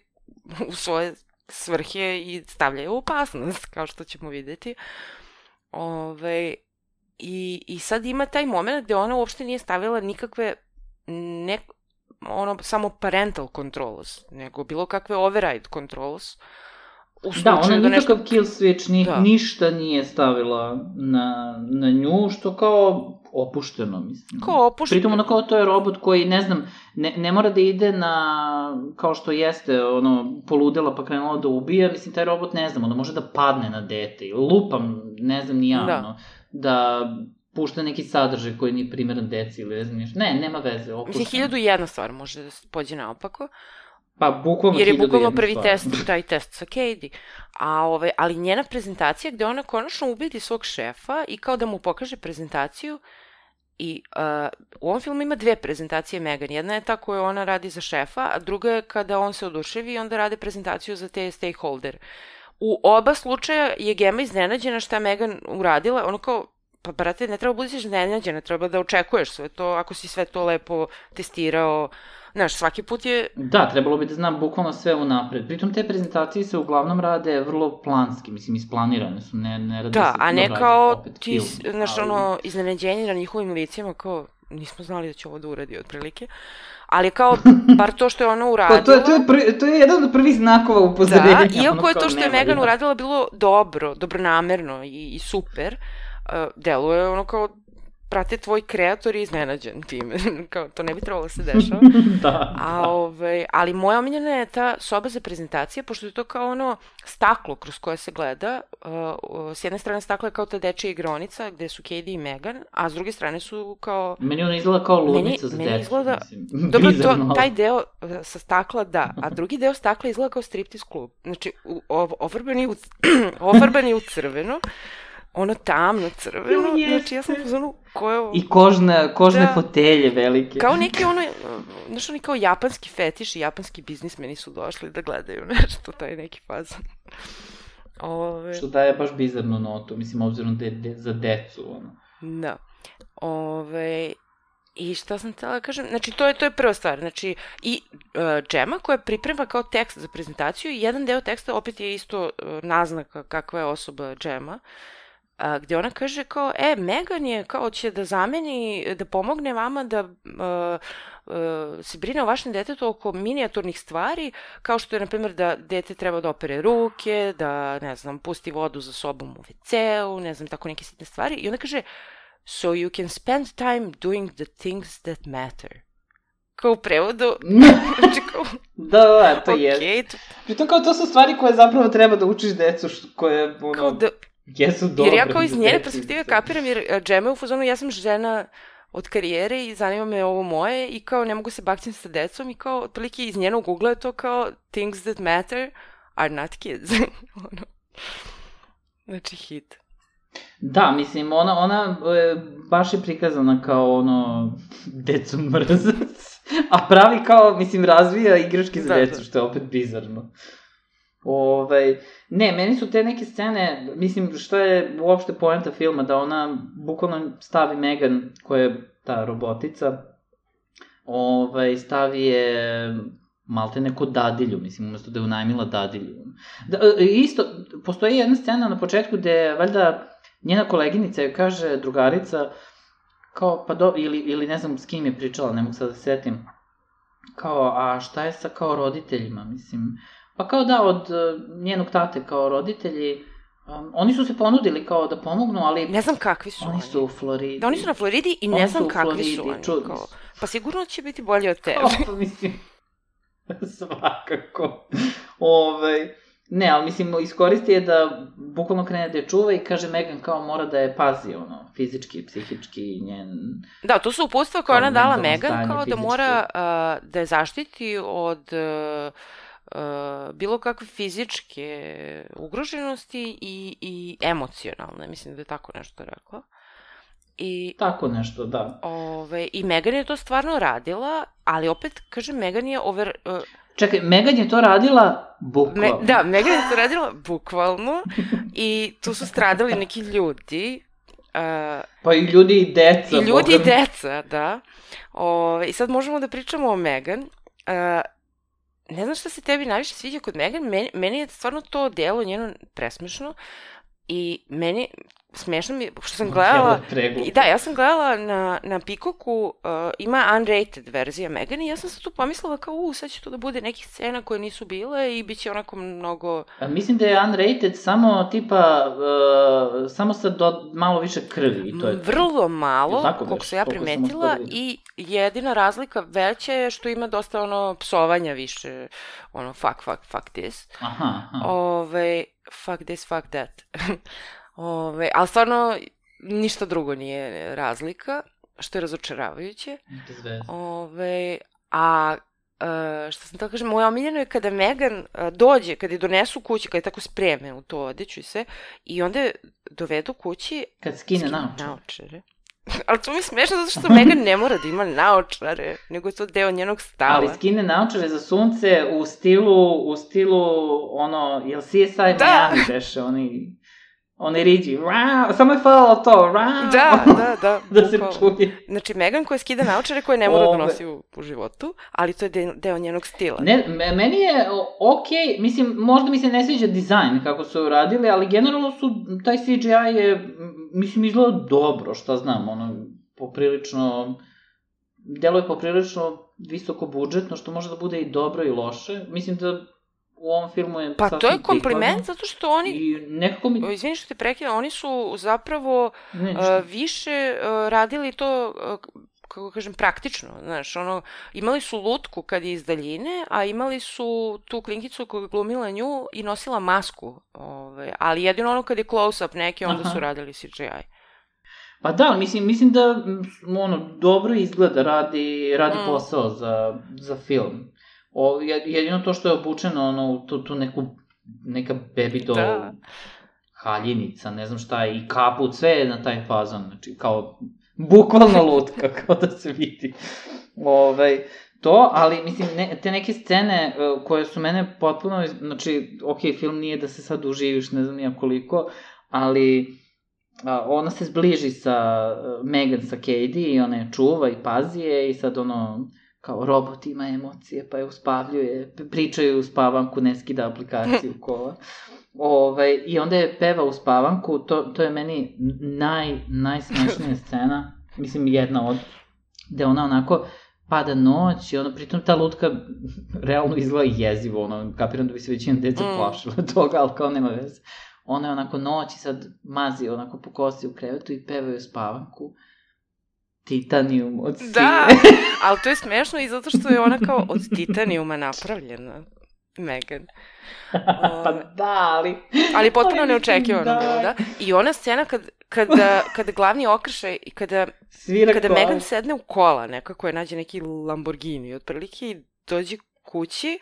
S1: u svoje svrhe i stavlja je u opasnost, kao što ćemo videti. I sad ima taj moment gde ona uopšte nije stavila nikakve samo parental controls, nego bilo kakve override controls.
S2: Da, ona nikakav kill switch, ništa nije stavila na nju, što kao opušteno, mislim.
S1: Kao opušteno.
S2: Pritom ono kao to je robot koji, ne znam, ne mora da ide kao što jeste, poludela pa krenula da ubija, mislim, taj robot, ne znam, može da padne na dete, ili lupam, ne znam, da pušta neki sadržaj koji nije primeran deci, ili ne znam ništa. Ne, nema veze, opušteno.
S1: Mislim, 1001 stvar može da se pođe naopako.
S2: Pa, bukvalno 1001 stvar.
S1: Jer je bukvalno prvi test, taj test sa Katie. Ali njena prezentacija gde ona konačno ubedi svog šefa i kao da mu pokaže prezentaciju. I u ovom filmu ima 2 prezentacije Megan. Jedna je ta koju ona radi za šefa, a druga je kada on se oduševi i onda rade prezentaciju za te stakeholder. u oba slučaja je Gemma iznenađena šta je Megan uradila, ono kao, pa brate, ne treba budiš iznenađena, treba da očekuješ sve to, ako si sve to lepo testirao, znaš, svaki put je...
S2: Da, trebalo bi da znam bukvalno sve unapred. Pritom te prezentacije se uglavnom rade vrlo planski, mislim, isplanirane su, ne rade
S1: da,
S2: se...
S1: a ne kao ti, znaš, ono, iznenađenje na njihovim licima, kao, nismo znali da će ovo da uradi otprilike, ali kao, bar to što je ona uradila...
S2: To je jedan od prvih znakova upozorenja.
S1: Da, iako je to što je Megan uradila bilo dobronamerno i super, deluje ono kao, prate, tvoj kreator je iznenađen time, kao, to ne bi trebalo da se dešava.
S2: Da.
S1: Ali moja omiljena je ta soba za prezentacije, pošto je to kao ono staklo kroz koje se gleda, s jedne strane staklo je kao ta dečija igronica gde su Katie i Megan, a s druge strane su kao...
S2: Meni ona izgleda kao ludnica za decu.
S1: Izgleda... Dobro, taj deo sa stakla da, a drugi deo stakla izgleda kao striptease klub. Znači, ofarbani u crveno, ono tamno crveno, znači ja sam pozvanu ko je ovo...
S2: I kožne fotelje velike.
S1: Kao neki ono, znaš, oni kao japanski fetiš i japanski biznismeni su došli da gledaju nešto, taj neki fazon.
S2: Što daje baš bizarnu notu, mislim, obzirom da je za decu, ono.
S1: Da. I šta sam htjela da kažem, znači to je prva stvar, znači i Gemma koja priprema kao tekst za prezentaciju, jedan deo teksta opet je isto naznaka kakva je osoba Gemma, gde ona kaže kao, Megan je kao će da zameni, da pomogne vama da se brine o vašem detetu oko minijaturnih stvari, kao što je, na primjer, da dete treba da opere ruke, da, ne znam, pusti vodu za sobom u WC-u, ne znam, tako neke sitne stvari. I ona kaže, so you can spend time doing the things that matter. Kao u prevodu. Znači kao...
S2: Da, to je. Pritom kao to su stvari koje zapravo treba da učiš decu, koje, ono... Jesu dobre.
S1: Jer ja kao iz njene perspektive kapiram, jer Gemma je u fazonu, ja sam žena od karijere i zanima me ovo moje i kao ne mogu se bakćem sa decom i kao otprilike iz njenog ugla je to kao things that matter are not kids. Znači hit.
S2: Da, mislim, ona baš je prikazana kao ono decu mrzac, a pravi kao, mislim, razvija igračke za decu, što je opet bizarno. Ne, meni su te neke scene, mislim, što je uopšte poenta filma, da ona bukvalno stavi Megan, koja je ta robotica, stavi je maltene kod dadilju, mislim, umesto da je unajmila dadilju. Isto, postoji jedna scena na početku gde, valjda, njena koleginica joj kaže, drugarica, kao, ili ne znam s kim je pričala, ne mogu sad da setim, kao, a šta je sa kao roditeljima, mislim... Pa kao da, od njenog tate kao roditelji, oni su se ponudili kao da pomognu, ali...
S1: Ne znam kakvi su oni.
S2: Oni su u Floridi.
S1: Da, oni su na Floridi i ne znam kakvi su oni. Kao, pa sigurno će biti bolje od tebe.
S2: Pa mislim, svakako. Ne, ali mislim, iskoristi je da bukvalno krene da je čuva i kaže Megan kao mora da je pazi, ono, fizički, psihički, njen...
S1: Da, to su upustva koje ona dala Megan, kao da mora da je zaštiti od... bilo kakve fizičke ugroženosti i emocionalne, mislim da je tako nešto rekla.
S2: Tako nešto, da.
S1: I Megan je to stvarno radila, ali opet, kažem, Megan je
S2: Čekaj, Megan je to radila bukvalno.
S1: Da, Megan je to radila bukvalno i tu su stradali neki ljudi.
S2: Pa i ljudi i deca.
S1: I ljudi i deca, da. I sad možemo da pričamo o Megan. Ne znam šta se tebi najviše sviđa kod Megan, meni je stvarno to delo njeno presmešno i meni smešno mi, što sam gledala, da, ja sam gledala na Peacocku, ima unrated verzija Megan i ja sam se tu pomislila kao, sad će to da bude nekih scena koje nisu bile i bit će onako mnogo...
S2: Mislim da je unrated samo tipa, samo sa malo više krvi i to je...
S1: Vrlo malo, koliko sam ja primetila i jedina razlika veća je što ima dosta ono psovanja više, ono fuck this.
S2: Aha.
S1: Fuck this, fuck that. Ali stvarno ništa drugo nije razlika, što je razočaravajuće. Što sam tako kažem, moja omiljena je kada Megan dođe, kada je donesu kući, kada je tako spreme u to odeću i sve, i onda dovedu kući...
S2: Kad skine naočare.
S1: Ali to mi je smešno zato što Megan ne mora da ima naočare, nego je to deo njenog stava.
S2: Ali skine naočare za sunce u stilu, ono, jel CSI Miami beše, oni riđi, samo je falalo to, da se čuje.
S1: Znači, Megan koja skida naočare koje ne mora da nosi u životu, ali to je deo njenog stila.
S2: Ne, meni je okej, mislim, možda mi se ne sviđa dizajn kako su uradili, ali generalno taj CGI je, mislim, izgleda dobro, šta znam, deluje poprilično visoko budžetno, što može da bude i dobro i loše. Mislim da u ovom filmu je
S1: pa to je kompliment zato što oni
S2: i nekako mi...
S1: Izvini što te prekidam, oni su zapravo više radili to, kako kažem, praktično, znaš, imali su lutku kad je iz daljine, a imali su tu klinkicu koja je glumila nju i nosila masku, ali jedino kad je close-up neki, onda su radili CGI.
S2: Pa da, mislim da dobro izgleda, radi posao za film. Jedino to što je obučeno u tu neka baby doll haljinica, ne znam šta, i kaput, sve je na taj fazon, znači kao bukvalno lutka, kao da se vidi. Ali mislim, te neke scene koje su mene potpuno, znači, film nije da se sad uživiš, ne znam nija koliko, ali ona se zbliži sa Megan, sa Katie i ona je čuva i pazi je i sad kao robot ima emocije, pa je uspavljuje, pričaju u spavanku, ne skida aplikaciju kola. I onda je peva u spavanku, to je meni najsmešnija scena, mislim jedna od, gde ona onako pada noć i pritom ta lutka realno izgleda jezivo, kapiram da bi se većina deca plašila toga, ali kao nema veze. Ona je onako noć i sad mazi onako po kosti u krevetu i pevaju u spavanku. Titanijum od sile.
S1: Da, ali to je smešno i zato što je ona kao od titanijuma napravljena, Megan.
S2: Pa da, ali...
S1: Ali potpuno neočekivano bilo, da. I ona scena kada glavni okršaj i kada Megan sedne u kola, nekako je nađe neki Lamborghini, otprilike i dođe kući.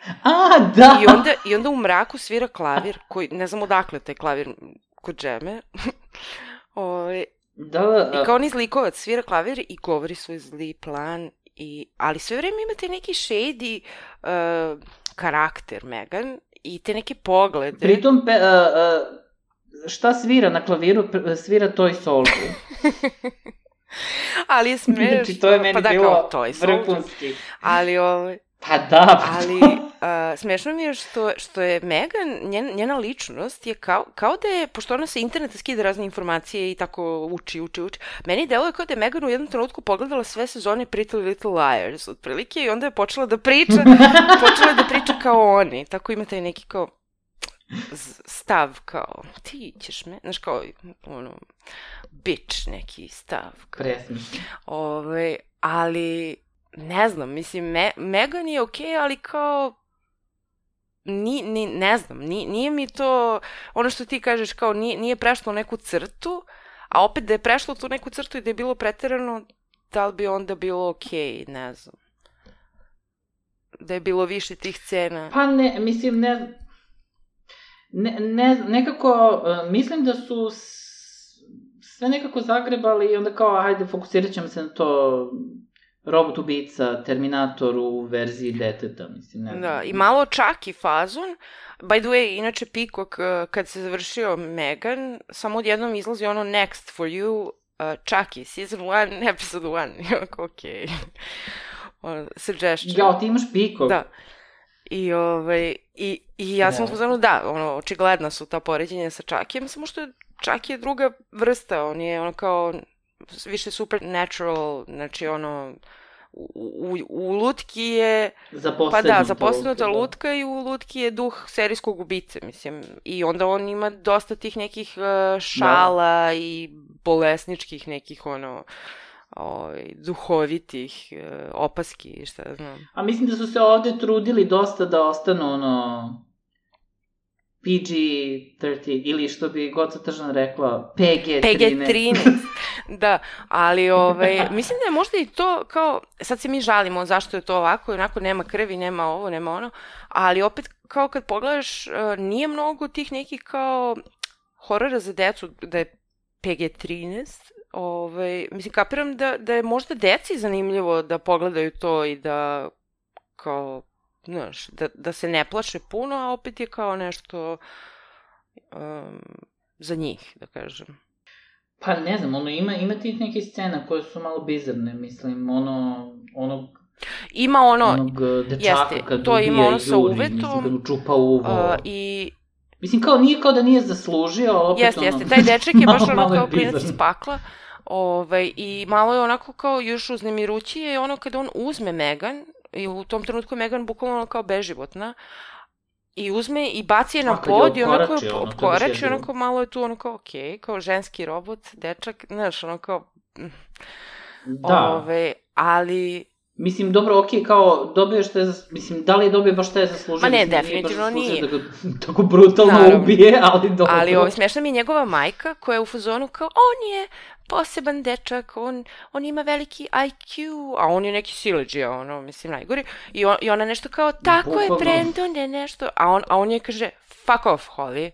S2: Da!
S1: I onda u mraku svira klavir, koji, ne znam odakle taj klavir kod džeme. I kao niz likovac svira klavir i govori svoj zli plan, ali sve vreme imate neki shady karakter Megan i te neke poglede.
S2: Pritom, šta svira na klaviru, svira Toy Soldier.
S1: Ali je smešno.
S2: Znači, to je meni bilo vrhunski.
S1: Ali
S2: pa da.
S1: Ali smešno mi je što je Megan, njena ličnost je kao da je, pošto ona sa interneta skida razne informacije i tako uči. Meni deluje kao da je Megan u jednom trenutku pogledala sve sezone Pretty Little Liars, otprilike, i onda je počela da priča kao oni. Tako ima taj neki kao stav kao, ti ćeš me, znaš kao, bitch neki stav.
S2: Presmišno.
S1: Ali... Ne znam, mislim, Megan je okej, ali kao, ne znam, nije mi to, ono što ti kažeš, kao nije prešlo neku crtu, a opet da je prešlo tu neku crtu i da je bilo preterano, da li bi onda bilo okej, ne znam. Da je bilo više tih scena.
S2: Pa ne, mislim, nekako, mislim da su sve nekako zagrebali i onda kao, hajde, fokusirat ćemo se na to... Robot ubica, Terminator u verziji deteta, mislim, ne znam.
S1: Da, i malo Chucky fazon. By the way, inače Peacock, kad se završio Megan, samo odjednom izlazi Next for you, Chucky, season 1, episode 1. Okej. Suggestion.
S2: Ja, ti imaš Peacock.
S1: Da. I ja sam uzmano, da, očigledna su ta poređenja sa Chuckyjem, samo što Chucky je druga vrsta, on je kao... više supernatural, znači u lutki je... zaposlenuta lutka i u lutki je duh serijskog ubice, mislim. I onda on ima dosta tih nekih šala i bolesničkih nekih, duhovitih opaski, šta znam.
S2: A mislim da su se ovde trudili dosta da ostanu, PG-13, ili što bi Goca Tržan rekla, PG-13.
S1: Da, ali mislim da je možda i to kao, sad se mi žalimo zašto je to ovako, onako nema krvi, nema ovo, nema ono, ali opet kao kad pogledaš, nije mnogo tih nekih kao horora za decu da je PG-13, Mislim, kapiram da je možda deci zanimljivo da pogledaju to i da kao, znaš, da se ne plaše puno, a opet je kao nešto za njih, da kažem.
S2: Pa ne znam, ima tih nekih scena koje su malo bizarne, mislim,
S1: ima
S2: onog dečaka kad ubija i juri, mislim, kad mu čupa uvo. Mislim, kao nije kao da nije zaslužio, ali opet
S1: Jeste, taj dečak je baš ono kao klinac iz pakla. I malo je onako kao još uznemirući je ono kada on uzme Megan, i u tom trenutku Megan bukvalno kao beživotna, i uzme i baci je na pod i onako je opkorači, onako malo je tu onako okej, kao ženski robot, dečak, znaš, ono kao...
S2: Da.
S1: Ali...
S2: Mislim, dobro, okej, kao dobio što je, mislim, da li je dobio baš što je zaslužio?
S1: Ma ne, definitivno nije.
S2: Da ga tako brutalno ubije, ali dobro.
S1: Ali smiješna mi je njegova majka koja je u fazonu kao, on je poseban dečak, on ima veliki IQ, a on je neki sileđija, ono, mislim, najgori. I ona nešto kao, tako je, Brandon, je nešto, a on je kaže, fuck off, Holly.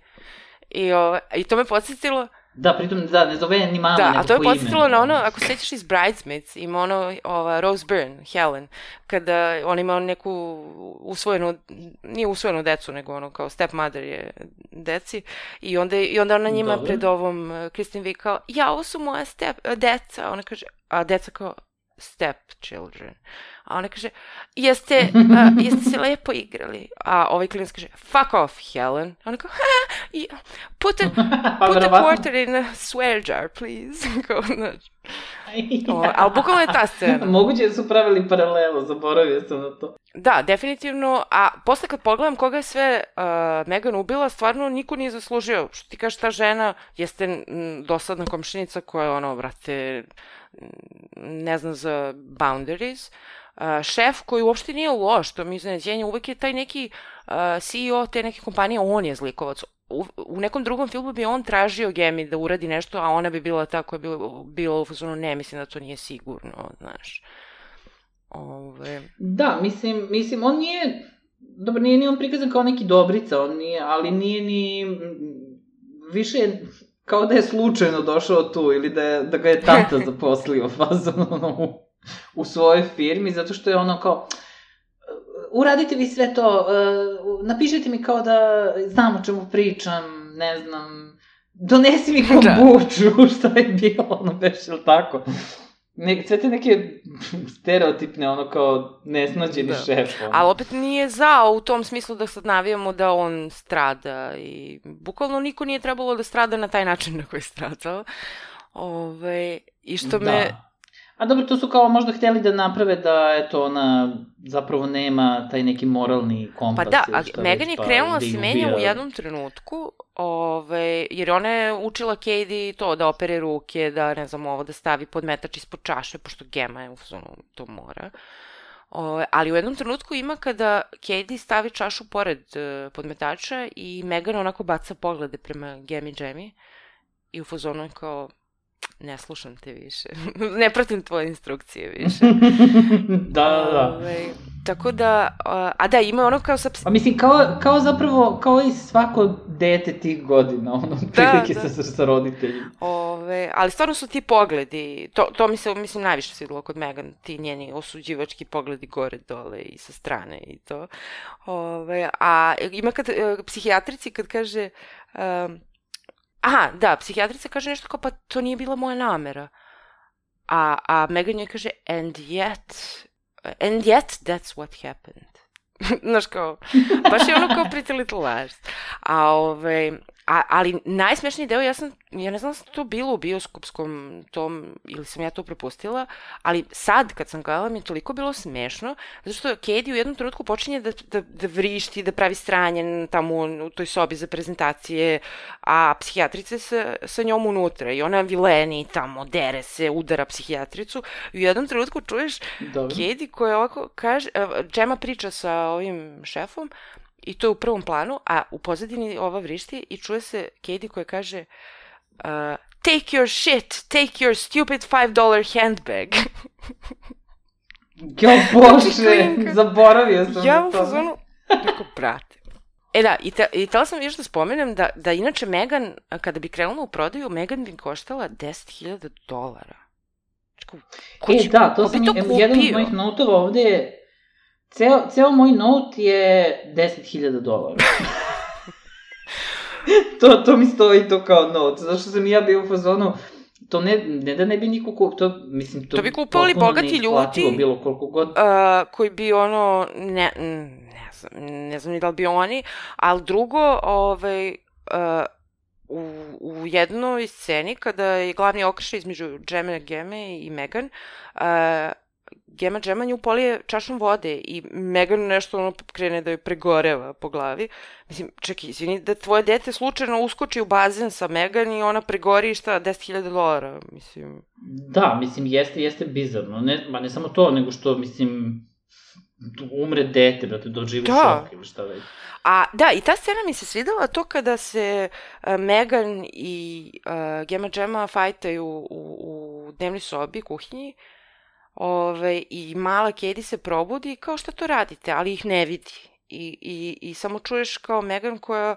S1: I to me podsjetilo...
S2: Da, pritom, ne zove ni mama, nego po ime.
S1: Da, a to je podsjetilo na ono, ako sećaš iz Bridesmaids, ima ono, Rose Byrne, Helen, kada on ima neku nije usvojenu decu, nego ono, kao stepmother je deci, i onda ona njima pred ovom Kristen Wiig kao, ja, ovo su moja deca, ona kaže, a deca kao, step children. A ona kaže, jeste se lepo igrali. A ovaj klinac kaže, fuck off, Helen. A ona kao, put a quarter in a swear jar, please. Kao, znači. Ali bukvalno je ta scena.
S2: Moguće su pravili paralelu, zaboravio sam na to.
S1: Da, definitivno. A posle kad pogledam koga je sve Megan ubila, stvarno niko nije zaslužio. Što ti kažeš, ta žena jeste dosadna komšinica koja je ono, brate, ne znam za boundaries. Šef koji uopšte nije loš, to mi iznenađenje, uvek je taj neki CEO te neke kompanije, on je zlikovac. U nekom drugom filmu bi on tražio Gemi da uradi nešto, a ona bi bila ta koja je bila u fazonu, ne, mislim da to nije sigurno, znaš.
S2: Da, mislim, on nije, dobro, nije ni on prikazan kao neki dobrica, ali nije ni, više kao da je slučajno došao tu, ili da ga je tata zaposlio fazon, u svojoj firmi, zato što je ono kao, uradite vi sve to, napišite mi kao da znam o čemu pričam, ne znam, donesi mi kombuču, šta je bilo, ono beš, ili tako. Sve te neke stereotipne, ono kao nesnađeni šef.
S1: Ali opet nije zao u tom smislu da sad navijamo da on strada i bukvalno niko nije trebalo da strada na taj način na koji je stradao. I što me...
S2: A dobro, to su kao možda hteli da naprave da, eto, ona zapravo nema taj neki moralni kompas.
S1: Pa da, a Megan je krenula se menja u jednom trenutku, jer ona je učila Katie to da opere ruke, da, ne znam, ovo da stavi podmetač ispod čaše, pošto Gema je u fazonu to mora. Ali u jednom trenutku ima kada Katie stavi čašu pored podmetača i Megan onako baca poglede prema Gemi Jamie i u fazonu je kao... Ne slušam te više. Ne pratim tvoje instrukcije više.
S2: Da.
S1: Tako da, a da, ima ono kao sa...
S2: Pa mislim, kao zapravo, kao i svako dete tih godina, ono, prilike sa roditeljima.
S1: Ali stvarno su ti pogledi, to mi se, mislim, najviše svidilo kod Megan, ti njeni osuđivački pogledi gore, dole i sa strane i to. A ima psihijatrici kad kaže... Aha, da, psihijatrica kaže nešto kao, pa to nije bila moja namera. A Megan joj kaže, and yet that's what happened. Znaš kao, baš je ono kao Pretty Little Liars. Ali najsmešniji deo, ja ne znam da sam to bilo u bioskopskom tom, ili sam ja to propustila, ali sad kad sam gledala mi je toliko bilo smešno, zato što Katie u jednom trenutku počinje da vrišti, da pravi stranje tamo u toj sobi za prezentacije, a psihijatrica sa njom unutra i ona vileni tamo, dere se, udara psihijatricu i u jednom trenutku čuješ Katie koja ovako kaže, Gemma priča sa ovim šefom, i to je u prvom planu, a u pozadini ova vrišti i čuje se Katie koja kaže take your shit, take your stupid $5 handbag.
S2: Jo, Bože, zaboravio sam
S1: ja u fazonu, rekao, brate. Da, i tela sam još da spomenem da inače Meghan, kada bi krenula u prodaju, Meghan bi koštala $10,000.
S2: Da, to sam jedan od mojih notova ovde je, ceo moj not je $10,000. To mi stoji to kao not, zašto sam i ja bio u fazonu, to ne da ne bi niko kupio, to
S1: bi kupovali bogati ljudi,
S2: bilo koliko god.
S1: Koji bi ne znam ni da li bi oni, ali drugo, u jednoj sceni kada je glavni okršaj između Gemme i Meghan, Gemma nju polije čašom vode i Meghan nešto krene da joj pregoreva po glavi. Mislim, čekaj, izvini, da tvoje dete slučajno uskoči u bazen sa Meghan i ona pregori $10,000, mislim.
S2: Da, mislim, jeste bizarno. Ne samo to, nego što, mislim, umre dete, brate, doživi šok ili šta već.
S1: Da, i ta scena mi se svidela to kada se Meghan i Gemma fajtaju u dnevnoj sobi, kuhinji, i mala Katie se probudi kao šta to radite, ali ih ne vidi. I samo čuješ kao Meghan koja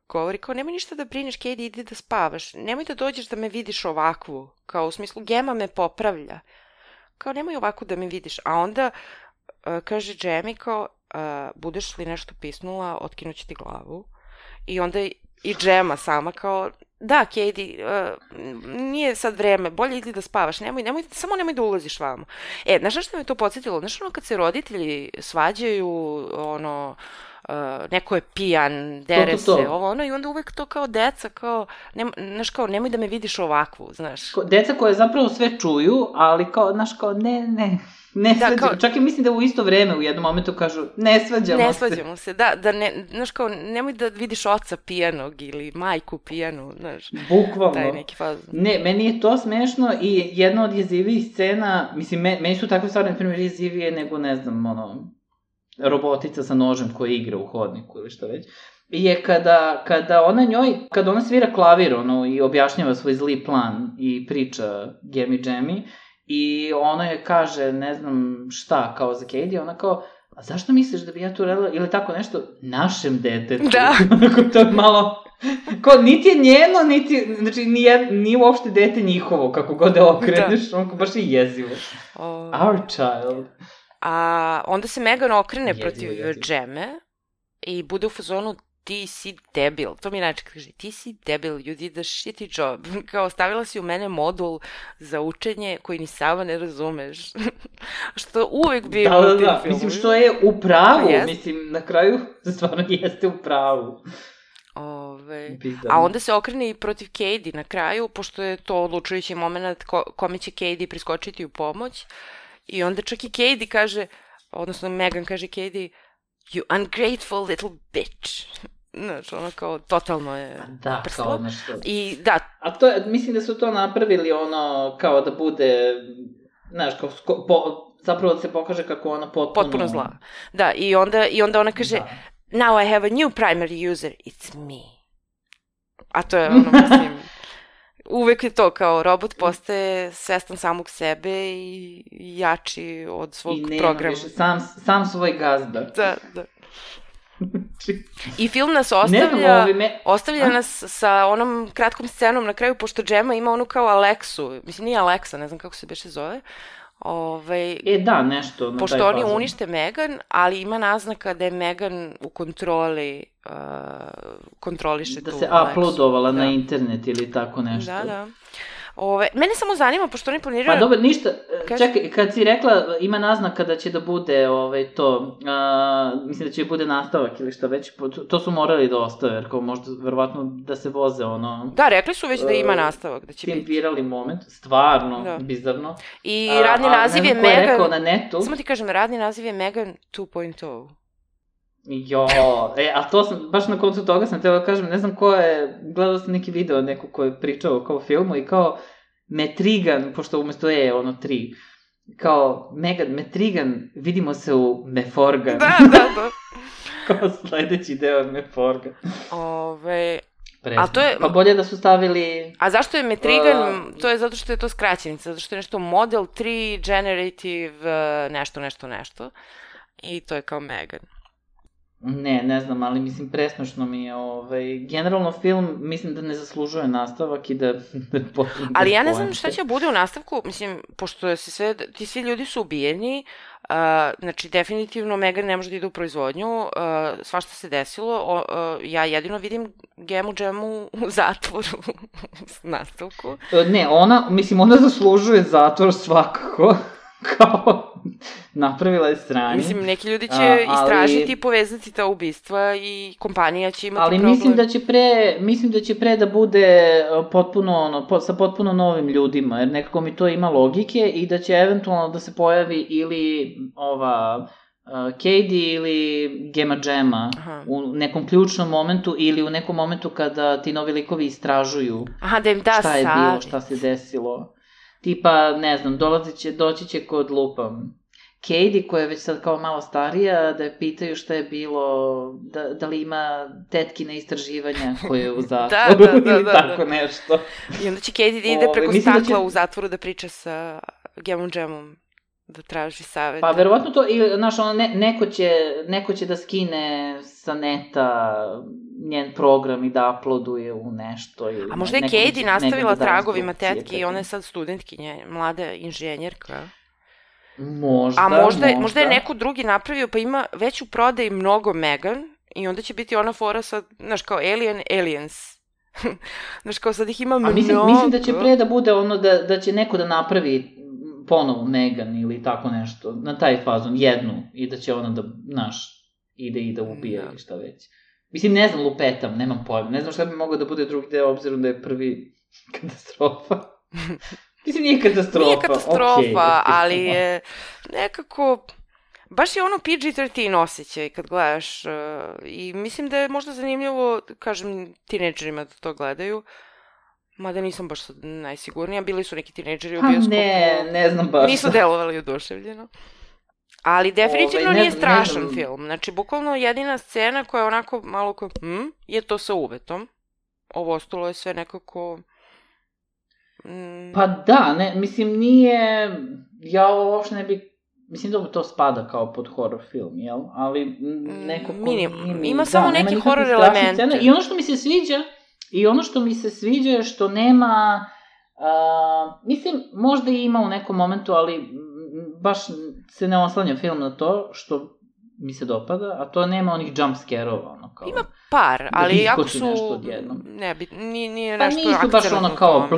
S1: govori kao nemoj ništa da brineš, Katie, idi da spavaš, nemoj da dođeš da me vidiš ovakvu, kao u smislu Gemma me popravlja, kao nemoj ovako da me vidiš, a onda kaže Jamie kao budeš li nešto pisnula, otkinući ti glavu, i onda i Gemma sama kao da, Katie, nije sad vreme, bolje idi da spavaš, samo nemoj da ulaziš vamo. Znaš što me to podsjetilo? Znaš kad se roditelji svađaju, neko je pijan, dere se, i onda uvek to kao deca, kao, znaš kao, nemoj da me vidiš ovakvu, znaš.
S2: Deca koje zapravo sve čuju, ali kao, znaš kao, ne svađamo, čak i mislim da u isto vreme u jednom momentu kažu ne svađamo
S1: se, znaš kao, nemoj da vidiš oca pijanog ili majku pijanu, znaš.
S2: Bukvalno.
S1: Taj neki fazon.
S2: Ne, meni je to smešno i jedna od jezivijih scena, mislim, meni su takve stvari, na primjer, jezivije nego, ne znam, robotica sa nožem koja igra u hodniku ili šta već. Je kada ona svira klavir, i objašnjava svoj zli plan i priča Jamie, i ona je kaže, ne znam šta, kao za Katie, ona kao, a zašto misliš da bi ja tu radila, ili tako nešto, našem detetu.
S1: Da.
S2: To je malo, kao, niti je njeno, znači, nije uopšte dete njihovo, kako god da okreneš, baš je jezivo. Our child.
S1: A onda se Meghan okrene protiv Gemme i bude u fazonu ti si debil, to mi najčešće kaže, ti si debil, you did a shitty job, kao stavila si u mene modul za učenje koji ni sama ne razumeš, što uvek bi u tim filmu.
S2: Mislim što je u pravu, mislim na kraju stvarno jeste u pravu.
S1: A onda se okrene i protiv Katie na kraju, pošto je to odlučujući moment kome će Katie priskočiti u pomoć, i onda čak i Katie kaže, odnosno Meghan kaže Katie, you ungrateful little bitch. Znaš, ono kao, totalno je prslo.
S2: Kao nešto.
S1: I da.
S2: A to, mislim da su to napravili kao da bude, znaš, zapravo da se pokaže kako ona
S1: potpuno zla. Da, i onda ona kaže, now I have a new primary user, it's me. A to je mislim, uvek je to kao robot postaje svestan samog sebe i jači od svog programa. I nema više,
S2: sam svoj gazda.
S1: Da. I film nas ostavlja nas sa onom kratkom scenom na kraju, pošto Gemma ima onu kao Alexu, mislim nije Alexa, ne znam kako se beše zove.
S2: Da, nešto.
S1: Pošto oni unište Meghan, ali ima naznaka da je Meghan u kontroli, kontroliše tu Alexu.
S2: Da se uploadovala na internet ili tako nešto.
S1: Da. Mene samo zanima, pošto oni planiraju...
S2: Pa dobro, ništa, čekaj, kad si rekla ima naznaka da će da bude to, mislim da će bude nastavak ili šta već, to su morali da ostave, jer kao možda, verovatno, da se voze
S1: Da, rekli su već da ima nastavak, da će biti.
S2: Tim virali moment, stvarno, bizarno.
S1: I radni naziv je Meghan...
S2: rekao na netu.
S1: Samo ti kažem, radni naziv je Meghan 2.0.
S2: A to sam, baš na koncu toga sam tela da kažem, ne znam ko je, gledao sam neki video neko ko je pričao kao filmu i kao Metrigan, pošto umesto ono 3, kao Meghan, Metrigan, vidimo se u Meforgan.
S1: Da.
S2: Kao sledeći deo je Meforgan. Pa bolje da su stavili...
S1: A zašto je Metrigan? To je zato što je to skraćenica, zato što je nešto Model 3 Generative nešto. I to je kao Meghan.
S2: Ne znam, ali mislim, presmešno mi je, generalno film, mislim da ne zaslužuje nastavak i da je potpuno...
S1: Ali ja ne znam šta će bude u nastavku, mislim, pošto ti svi ljudi su ubijeni, znači, definitivno Megan ne može da ide u proizvodnju, svašta se desilo, ja jedino vidim Gemu Džemu u zatvoru u nastavku.
S2: Ne, ona zaslužuje zatvor svakako, kao napravila je sranje.
S1: Mislim, neki ljudi će istražiti i povezati ta ubistva i kompanija će imati problem.
S2: Ali mislim da će pre da bude potpuno, sa potpuno novim ljudima, jer nekako mi to ima logike i da će eventualno da se pojavi ili Cady ili Gema Džema u nekom ključnom momentu ili u nekom momentu kada ti novi likovi istražuju šta je bilo, šta se desilo. Tipa, ne znam, doći će kod Cady, koja je već sad kao malo starija, da je pitaju šta je bilo, da li ima tetkine istraživanja koje je u zatvoru ili tako nešto.
S1: I onda će Cady da ide preko stakla u zatvoru da priča sa Gemom Džemom, da traži savjet.
S2: Pa verovatno to, znaš, neko će da skine sa neta njen program i da uploaduje u nešto.
S1: A možda je Cady nastavila tragovima tetke i ona je sad studentkinja, mlada inženjerka. Možda je neko drugi napravio, pa ima već u prodaji mnogo Megan i onda će biti ona fora sad, znaš, kao Aliens. Znaš, kao sad ih ima mnogo.
S2: Mislim da će pre da bude ono da će neko da napravi ponovo Megan ili tako nešto, na taj fazon, jednu, i da će ona da, znaš, ide i da ubije ili šta već. Mislim, ne znam, lupetam, nemam pojma, ne znam šta bi mogao da bude drugi deo, obzirom da je prvi katastrofa. Mislim, nije katastrofa,
S1: ali je nekako, baš je ono PG-13 osjećaj kad gledaš i mislim da je možda zanimljivo, kažem, tinejdžerima da to gledaju, mada nisam baš najsigurnija, bili su neki tinejdžeri u bioskopu.
S2: Ne znam baš.
S1: Nisu delovali oduševljeno. Ali definitivno nije strašan film. Znači, bukvalno jedina scena koja je onako malo kao, je to sa uvetom. Ovo ostalo je sve nekako...
S2: Pa da, mislim, nije... Ja uopšte ne bih... Mislim da to spada kao pod horror film, jel? Ali nekako...
S1: Ima samo neki horror element.
S2: I ono što mi se sviđa je što nema... mislim, možda i ima u nekom momentu, ali baš se ne oslanja film na to, što mi se dopada, a to nema onih jump scare-ova, ono kao...
S1: Ima par, ali ako su... Nije nešto akcijeno.
S2: Pa nisu baš ono kao...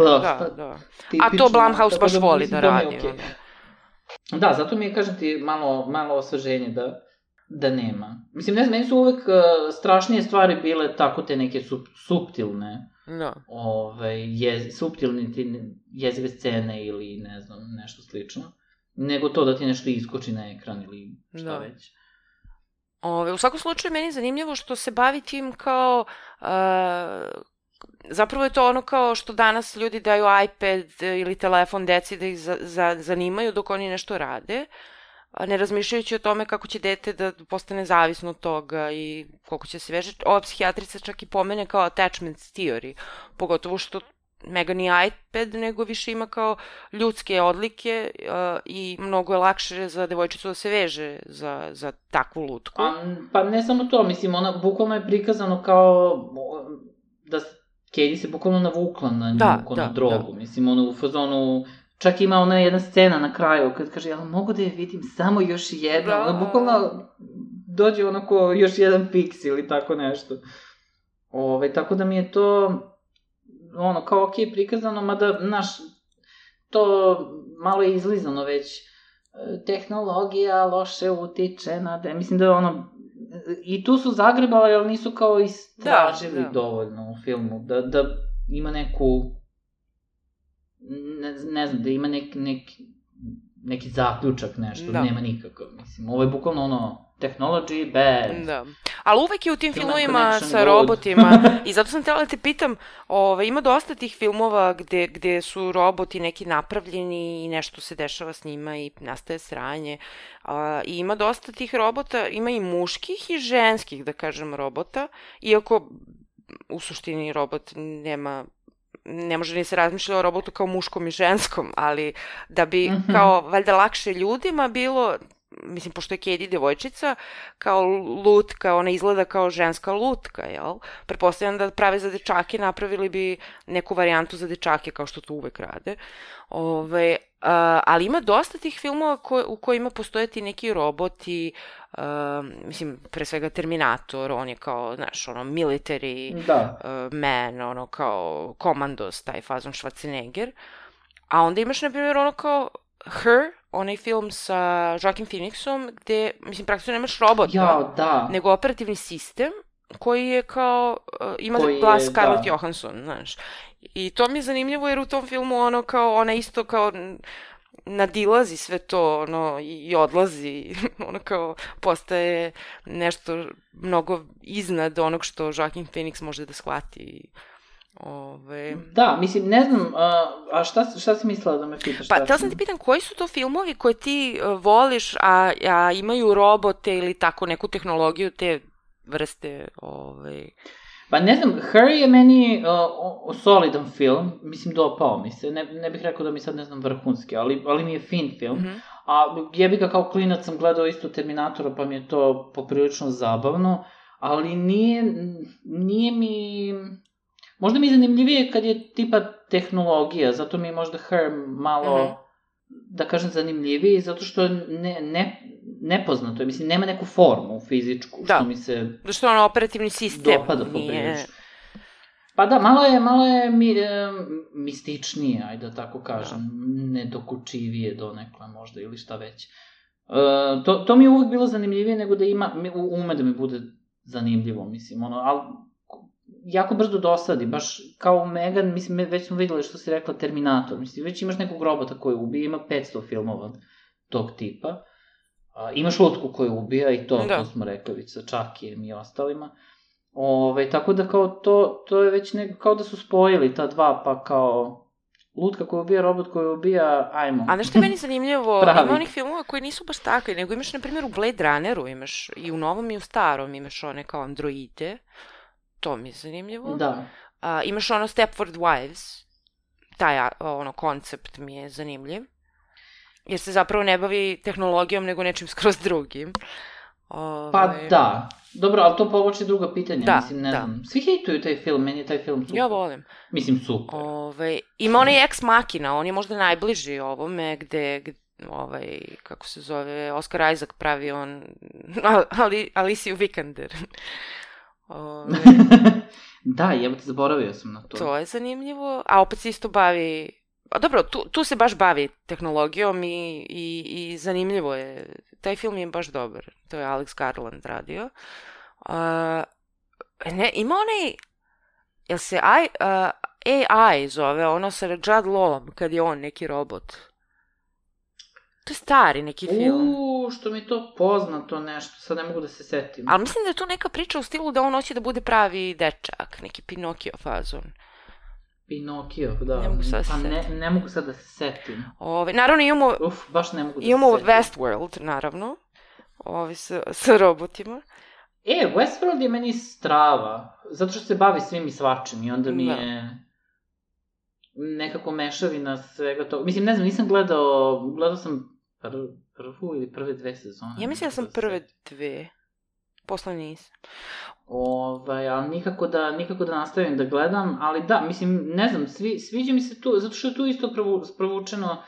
S1: A to Blumhouse baš voli da radi.
S2: Da, zato mi je, kažem ti, malo osveženje da nema. Mislim, ne znam, meni su uvek strašnije stvari bile tako te neke suptilne, suptilne jezive scene ili ne znam, nešto slično, nego to da ti nešto iskoči na ekran ili šta već.
S1: U svakom slučaju, meni je zanimljivo što se bavi tim kao... Zapravo je to ono kao što danas ljudi daju iPad ili telefon deci da ih zanimaju dok oni nešto rade, ne razmišljajući o tome kako će dete da postane zavisno od toga i koliko će se vežati. Ova psihijatrica čak i pomene kao attachment theory, pogotovo što Megan nije iPad, nego više ima kao ljudske odlike i mnogo je lakše za devojčicu da se veže za takvu lutku.
S2: Pa ne samo to, mislim, ona bukvalno je prikazano kao da Cady se bukvalno navukla na nju, na drogu. Mislim, ona u fazonu, čak ima ona jedna scena na kraju kad kaže, jel mogu da je vidim samo još jedno? Ona bukvalno dođe onako još jedan piks ili tako nešto. Tako da mi je to ono kao okej prikazano, mada, znaš, to malo je izlizano već. Tehnologija loše utiče na... Mislim da je ono... I tu su zagrebali, ali nisu kao istražili dovoljno u filmu. Da ima neku... Ne znam, da ima neki zaključak nešto, nema nikakav, mislim. Ovo je bukvalno ono, technology, bad.
S1: Da. Ali uvek je u tim filmovima sa robotima, i zato sam htjela da te pitam, ima dosta tih filmova gde su roboti neki napravljeni i nešto se dešava s njima i nastaje sranje. I ima dosta tih robota, ima i muških i ženskih, da kažem, robota, iako u suštini robot ne može ni se razmišljati o robotu kao muškom i ženskom, ali da bi kao valjda lakše ljudima bilo mislim, pošto je Katie devojčica, kao lutka, ona izgleda kao ženska lutka, jel? Pretpostavljam da prave za dečake, napravili bi neku varijantu za dečake, kao što to uvek rade. Ali ima dosta tih filmova u kojima postoje ti neki roboti, mislim, pre svega Terminator, on je kao, znaš, ono, military man, ono, kao komandos, taj fazon Schwarzenegger. A onda imaš, na primjer, ono kao Her, onaj film sa Joaquin Phoenixom, gde, mislim, praktično nemaš robota, nego operativni sistem, koji je kao, ima glas Scarlett Johansson, znaš. I to mi je zanimljivo, jer u tom filmu, ono, kao, ona isto kao nadilazi sve to, ono, i odlazi, ono, kao, postaje nešto mnogo iznad onog što Joaquin Phoenix može da shvati.
S2: Da, mislim, ne znam, a šta si mislila da me pitaš?
S1: Pa, htjela sam ti pitan, koji su to filmovi koje ti voliš, a imaju robote ili tako neku tehnologiju te vrste?
S2: Pa ne znam, Her je meni solidan film, mislim, dopao mi se, ne bih rekao da mi sad, ne znam, vrhunski, ali mi je fin film. A jebi ga, kao klinac sam gledao isto Terminatora, pa mi je to poprilično zabavno, ali nije mi... Možda mi je zanimljivije kad je tipa tehnologija, zato mi je možda Her malo, da kažem, zanimljiviji, zato što je nepoznato, mislim, nema neku formu fizičku, što mi se...
S1: Da, što je ono operativni sistem.
S2: Dopada poprilično. Pa da, malo je mističnije, ajde da tako kažem, nedokučivije donekle možda, ili šta već. To mi je uvek bilo zanimljivije nego da ume da mi bude zanimljivo, mislim, ali jako brzo dosadi, baš kao u Megan, mislim, već smo videli što si rekla Terminator, mislim, već imaš nekog robota koji ubije, ima 500 filmova tog tipa, imaš lutku koju ubija i to smo rekli već sa Chuckyjem i ostalima, tako da kao to je već kao da su spojili ta dva, pa kao lutka koja ubija, robot koji ubija, ajmo.
S1: A nešto je meni zanimljivo, ima onih filmova koji nisu baš takvi, nego imaš, na primjer, u Blade Runneru, imaš i u novom i u starom, imaš one kao androide. To mi je zanimljivo.
S2: Da.
S1: Imaš ono Stepford Wives, taj koncept mi je zanimljiv, jer se zapravo ne bavi tehnologijom, nego nečim skroz drugim.
S2: Pa da. Dobro, ali to povuče druga pitanja, mislim, ne znam. Svi hejtuju taj film, meni je taj film super.
S1: Ja volim.
S2: Mislim, super.
S1: Ima onaj Ex Machina, on je možda najbliži ovome, gde kako se zove, Oscar Isaac pravi on, Alicia Vikander.
S2: Da, jebote, zaboravio sam na to.
S1: To je zanimljivo, a opet se isto bavi... Dobro, tu se baš bavi tehnologijom i zanimljivo je. Taj film je baš dobar. To je Alex Garland radio. Ima onaj... Jel se AI zove, ono sa Jude Lawom, kad je on neki robot? To je stari neki film.
S2: Što mi je to poznato nešto, sad ne mogu da se setim.
S1: Ali mislim da je to neka priča u stilu da on hoće da bude pravi dečak, neki Pinokio fazon.
S2: Pinokio, da. Ne mogu sad da se setim.
S1: Naravno imamo...
S2: baš ne mogu da se setim.
S1: Imamo Westworld, naravno. Sa robotima.
S2: Westworld je meni strava, zato što se bavi svim i svačim i onda mi je nekako mešavina svega toga. Mislim, ne znam, nisam gledao sam prvu ili prve 2 sezone.
S1: Ja mislim da sam prve 2, posle nisam.
S2: Ali nikako da nastavim da gledam, ali da, mislim, ne znam, sviđa mi se tu, zato što je tu isto provučeno,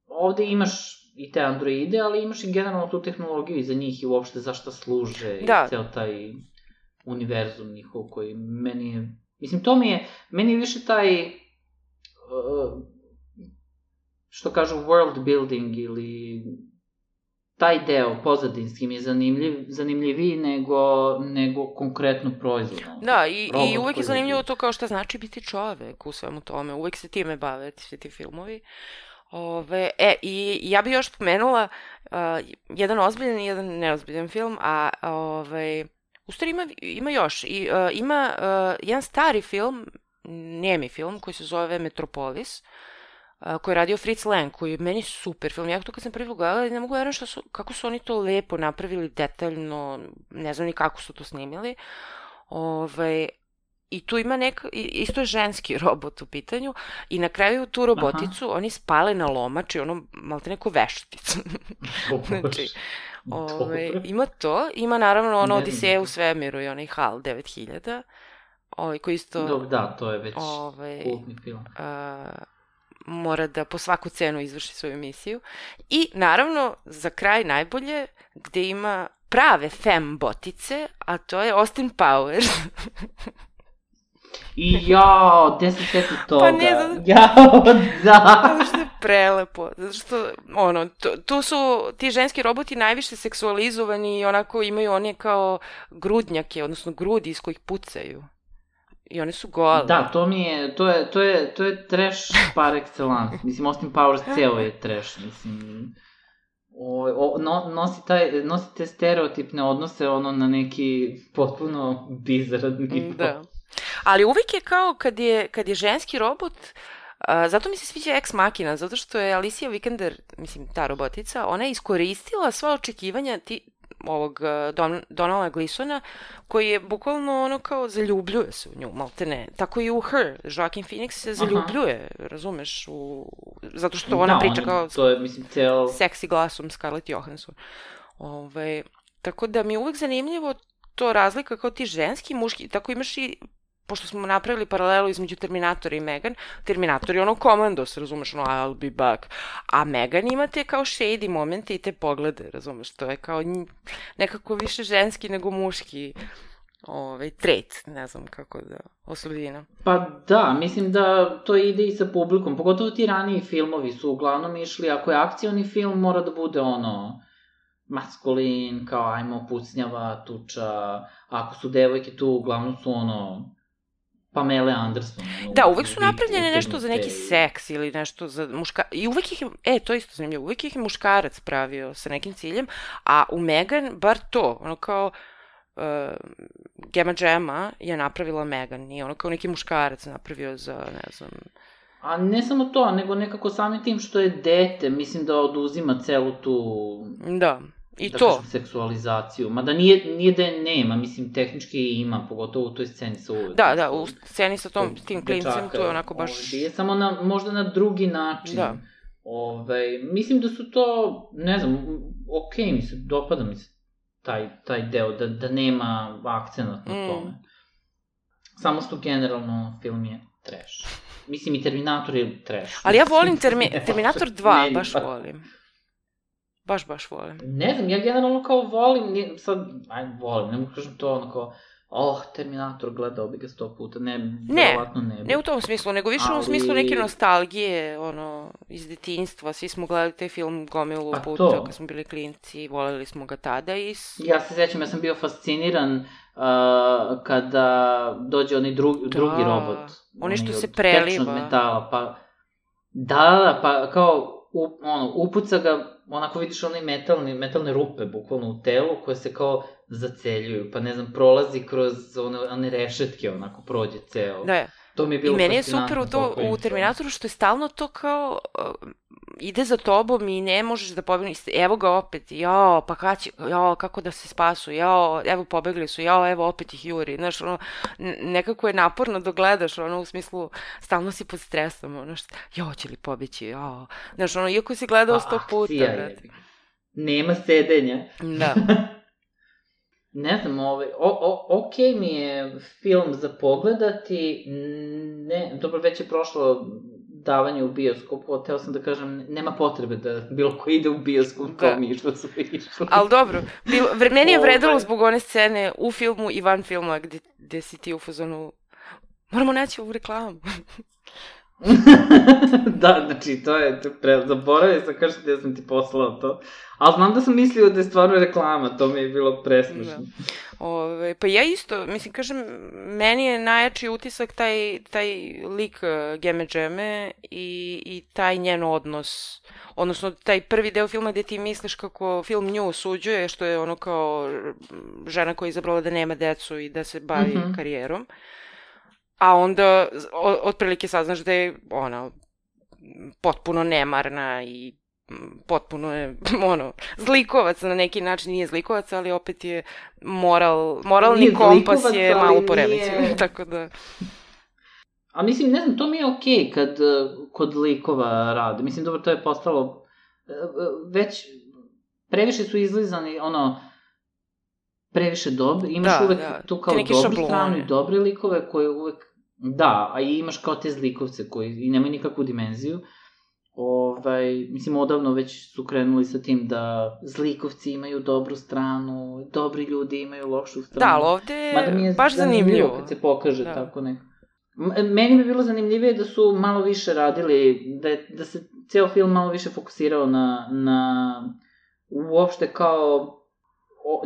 S2: ovde imaš i te androide, ali imaš i generalno tu tehnologiju iza njih i uopšte zašta služe i ceo taj univerzum njihov koji meni je, mislim, meni je više taj, što kažu, world building ili taj deo pozadinski mi je zanimljiviji nego konkretno proizvod.
S1: Da, i uvek je zanimljivo to kao šta znači biti čovek u svemu tome. Uvek se time bave svi ti filmovi. I ja bih još spomenula jedan ozbiljan i jedan neozbiljan film, a u stvari ima još. Ima jedan stari film, nemi film, koji se zove Metropolis, koji je radio Fritz Lang, koji je meni super film. Ja to kad sam prvi gledala, ne mogu vjerovati kako su oni to lepo napravili, detaljno, ne znam ni kako su to snimili. I tu ima isto je ženski robot u pitanju i na kraju tu roboticu oni spale na lomač i ono malte neku vešticu. Znači, ima to, ima naravno ono Odiseja u svemiru i onaj HAL 9000, koji isto...
S2: Da, to je već kultni film.
S1: Mora da po svaku cenu izvrši svoju misiju. I naravno, za kraj najbolje, gde ima prave fembotice, a to je Austin Powers.
S2: I jao, gde se sjeti toga?
S1: Pa ne,
S2: da.
S1: Zato što je prelepo. Zato što, tu su ti ženski roboti najviše seksualizovani i onako imaju one kao grudnjake, odnosno grudi iz kojih pucaju. I one su gole.
S2: Da, to je trash par excellence. Mislim, Austin Powers ceo je trash, mislim. Nosi te stereotipne odnose na neki potpuno bizaran nivo.
S1: Da. Ali uvijek je kao kad je ženski robot, zato mi se sviđa Ex Machina, zato što je Alicia Vikander, mislim ta robotica, ona je iskoristila sva očekivanja ovog Donalda Gleesona, koji je bukvalno kao zaljubljuje se u nju, malte ne. Tako i u Her, Joaquin Phoenix se zaljubljuje, razumeš, zato što ona priča kao
S2: to je, mislim,
S1: seksi glasom Scarlett Johansson. Tako da mi je uvek zanimljivo to razlika kao ti ženski i muški, tako imaš i, pošto smo napravili paralelu između Terminatora i Megan, Terminator je komandos, razumeš, I'll be back, a Megan ima te kao shady momente i te poglede, razumeš, to je kao nekako više ženski nego muški trait, ne znam kako da, osobina.
S2: Pa da, mislim da to ide i sa publikom, pogotovo ti raniji filmovi su uglavnom išli, ako je akcioni film, mora da bude maskulin, kao ajmo pucnjava, tuča, ako su devojke tu, uglavnom su Pamela Anderson.
S1: Da, uvek su napravljene nešto za neki seks ili nešto za muškarac. I uvek ih je, to je isto zanimljivo, uvek ih je muškarac pravio sa nekim ciljem, a u Megan bar to, kao Gemma Gemma je napravila Megan, nije kao neki muškarac napravio za, ne znam...
S2: A ne samo to, nego nekako samim tim što je dete, mislim da oduzima celu tu...
S1: Da. I to.
S2: Kažem, seksualizaciju. Mada nije da je nema, mislim, tehnički ima, pogotovo u toj sceni sa uvek.
S1: Da, u sceni sa tim klincem, to je onako baš...
S2: Je samo možda na drugi način. Da. Mislim da su to, ne znam, dopada mi se taj deo, da nema akcenat na tome. Samo što generalno film je trash. Mislim, i Terminator je trash.
S1: Ali ja volim Terminator 2, baš volim. Baš volim.
S2: Ne znam, ja generalno kao volim, volim, ne mogu kažem to kao, Terminator, gledao bi ga 100 puta, verovatno ne bi.
S1: Ne u tom smislu, nego više u smislu neke nostalgije, iz detinjstva, svi smo gledali taj film gomilu puta kad smo bili klinci, voljeli smo ga tada i...
S2: Ja se sećam, ja sam bio fasciniran kada dođe onaj drugi robot.
S1: Oni što se preliva.
S2: Tečnog metala, pa kao, upuca ga, onako vidiš one metalne rupe, bukvalno u telu, koje se kao zaceljuju, pa ne znam, prolazi kroz one rešetke, onako prođe ceo.
S1: Da,
S2: to mi je bilo
S1: i meni je super u Terminatoru što je stalno to kao ide za tobom i ne možeš da pobegniš, evo ga opet, pa kako da se spasu, evo pobegli su, evo opet ih juri, znaš, nekako je naporno da gledaš, u smislu, stalno si pod stresom, će li pobeći, znaš, iako si gledao 100 puta, brate.
S2: Nema sedenja.
S1: Da.
S2: Ne znam, okej mi je film za pogledati, dobro, već je prošlo davanje u bioskopu, teo sam da kažem, nema potrebe da bilo ko ide u bioskop, kao mi što su išli.
S1: Ali dobro, meni je vredalo zbog one scene u filmu i van filma gde si ti u fazonu, moramo naći ovu reklamu.
S2: Da, znači, to je zaboravio sam kažem da sam ti poslao to, ali znam da sam mislio da je stvarno reklama, to mi je bilo presmešno.
S1: Pa ja isto, mislim, kažem, meni je najjači utisak taj lik Gemme Gemme i taj njen odnos, odnosno taj prvi deo filma gde ti misliš kako film nju osuđuje, što je kao žena koja je izabrala da nema decu i da se bavi karijerom. A onda, otprilike saznaš da je ona potpuno nemarna i potpuno je, zlikovac na neki način, nije zlikovac, ali opet je moralni
S2: Nije
S1: kompas
S2: zlikovac,
S1: je
S2: ali
S1: malo poremećen,
S2: nije-
S1: tako da...
S2: A mislim, ne znam, to mi je okej kad kod likova rade. Mislim, dobro, to je postalo... Već previše su izlizani, previše dobri. Imaš uvek tu kao dobru stranu i dobre likove koje uvek... Da, a i imaš kao te zlikovce koji i nemaju nikakvu dimenziju. Mislim, odavno već su krenuli sa tim da zlikovci imaju dobru stranu, dobri ljudi imaju lošu stranu.
S1: Da, ali ovde je baš zanimljivo.
S2: Kad se pokaže tako neko. Meni bi bilo zanimljivije da su malo više radili, da se ceo film malo više fokusirao na uopšte kao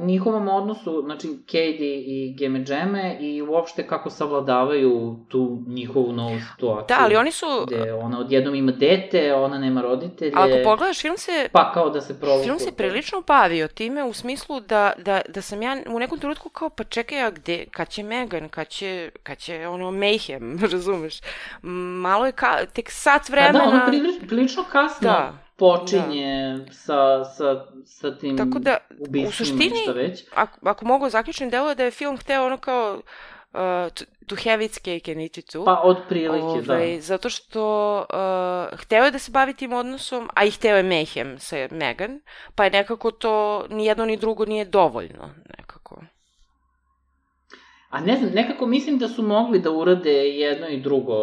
S2: njihovom odnosu, znači Cady i Geme Džeme i uopšte kako savladavaju tu njihovu novu situaciju.
S1: Da, ali oni su...
S2: Gde ona odjednom ima dete, ona nema roditelje.
S1: Ali ako pogledaš, film se...
S2: Pa kao da se provukao.
S1: Film se prilično bavio time u smislu da sam ja u nekom trenutku kao, pa čekaj, a gde, kad će Megan, kad će Mayhem, razumeš? Malo je tek sat vremena...
S2: Da, ono prilično kasno počinje sa tim ubistvima,
S1: u suštini,
S2: šta već.
S1: Ako mogu zaključiti, deluje da je film hteo ono kao to have its cake and eat it too.
S2: Pa, od prilike, da.
S1: Zato što hteo je da se bavi tim odnosom, a i hteo je Mayhem sa Megan, pa je nekako to ni jedno ni drugo nije dovoljno, nekako.
S2: A ne znam, nekako mislim da su mogli da urade jedno i drugo.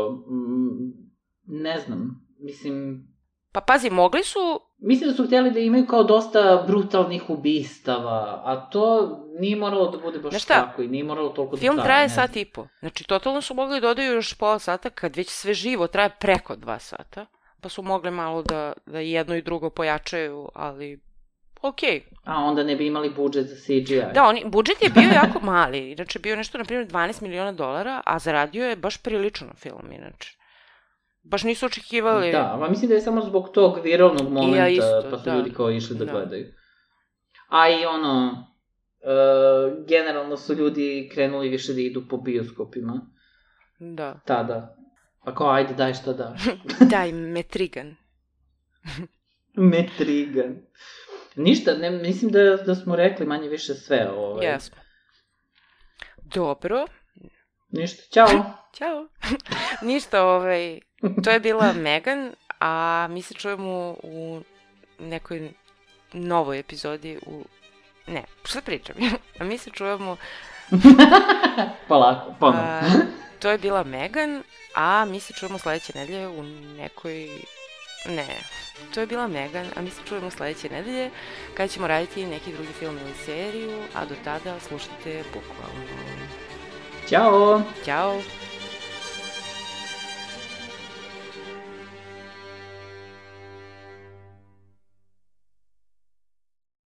S2: Ne znam, mislim...
S1: Pa pazi, mogli su...
S2: Mislim da su htjeli da imaju kao dosta brutalnih ubistava, a to nije moralo da bude baš tako i nije moralo toliko da traje.
S1: Film traje sat i po. Znači, totalno su mogli da dodaju još pola sata, kad već sve živo traje preko 2 sata, pa su mogli malo da jedno i drugo pojačaju, ali okej.
S2: A onda ne bi imali budžet za CGI.
S1: Da, budžet je bio jako mali, inače bio nešto, na primjer, $12 miliona, a zaradio je baš prilično film, inače. Baš nisu očekivali...
S2: Da, a mislim da je samo zbog tog viralnog momenta, pa su ljudi kao išli da gledaju. A i generalno su ljudi krenuli više da idu po bioskopima.
S1: Da.
S2: Tada. Pa kao, ajde, daj šta daš.
S1: Daj, Metrigan.
S2: Metrigan. Ništa, mislim da smo rekli manje više sve.
S1: Jesmo. Dobro.
S2: Ništa, ćao.
S1: Ćao. Ništa, to je bila Megan, a mi se čujemo u nekoj novoj epizodi Ne, šta pričam? A mi se čujemo...
S2: Polako, ponovno.
S1: To je bila Megan, a mi se čujemo sledeće nedelje u nekoj... Ne, to je bila Megan, a mi se čujemo sledeće nedelje kada ćemo raditi neki drugi film ili seriju, a do tada slušajte bukvalno.
S2: Ćao!
S1: Ćao!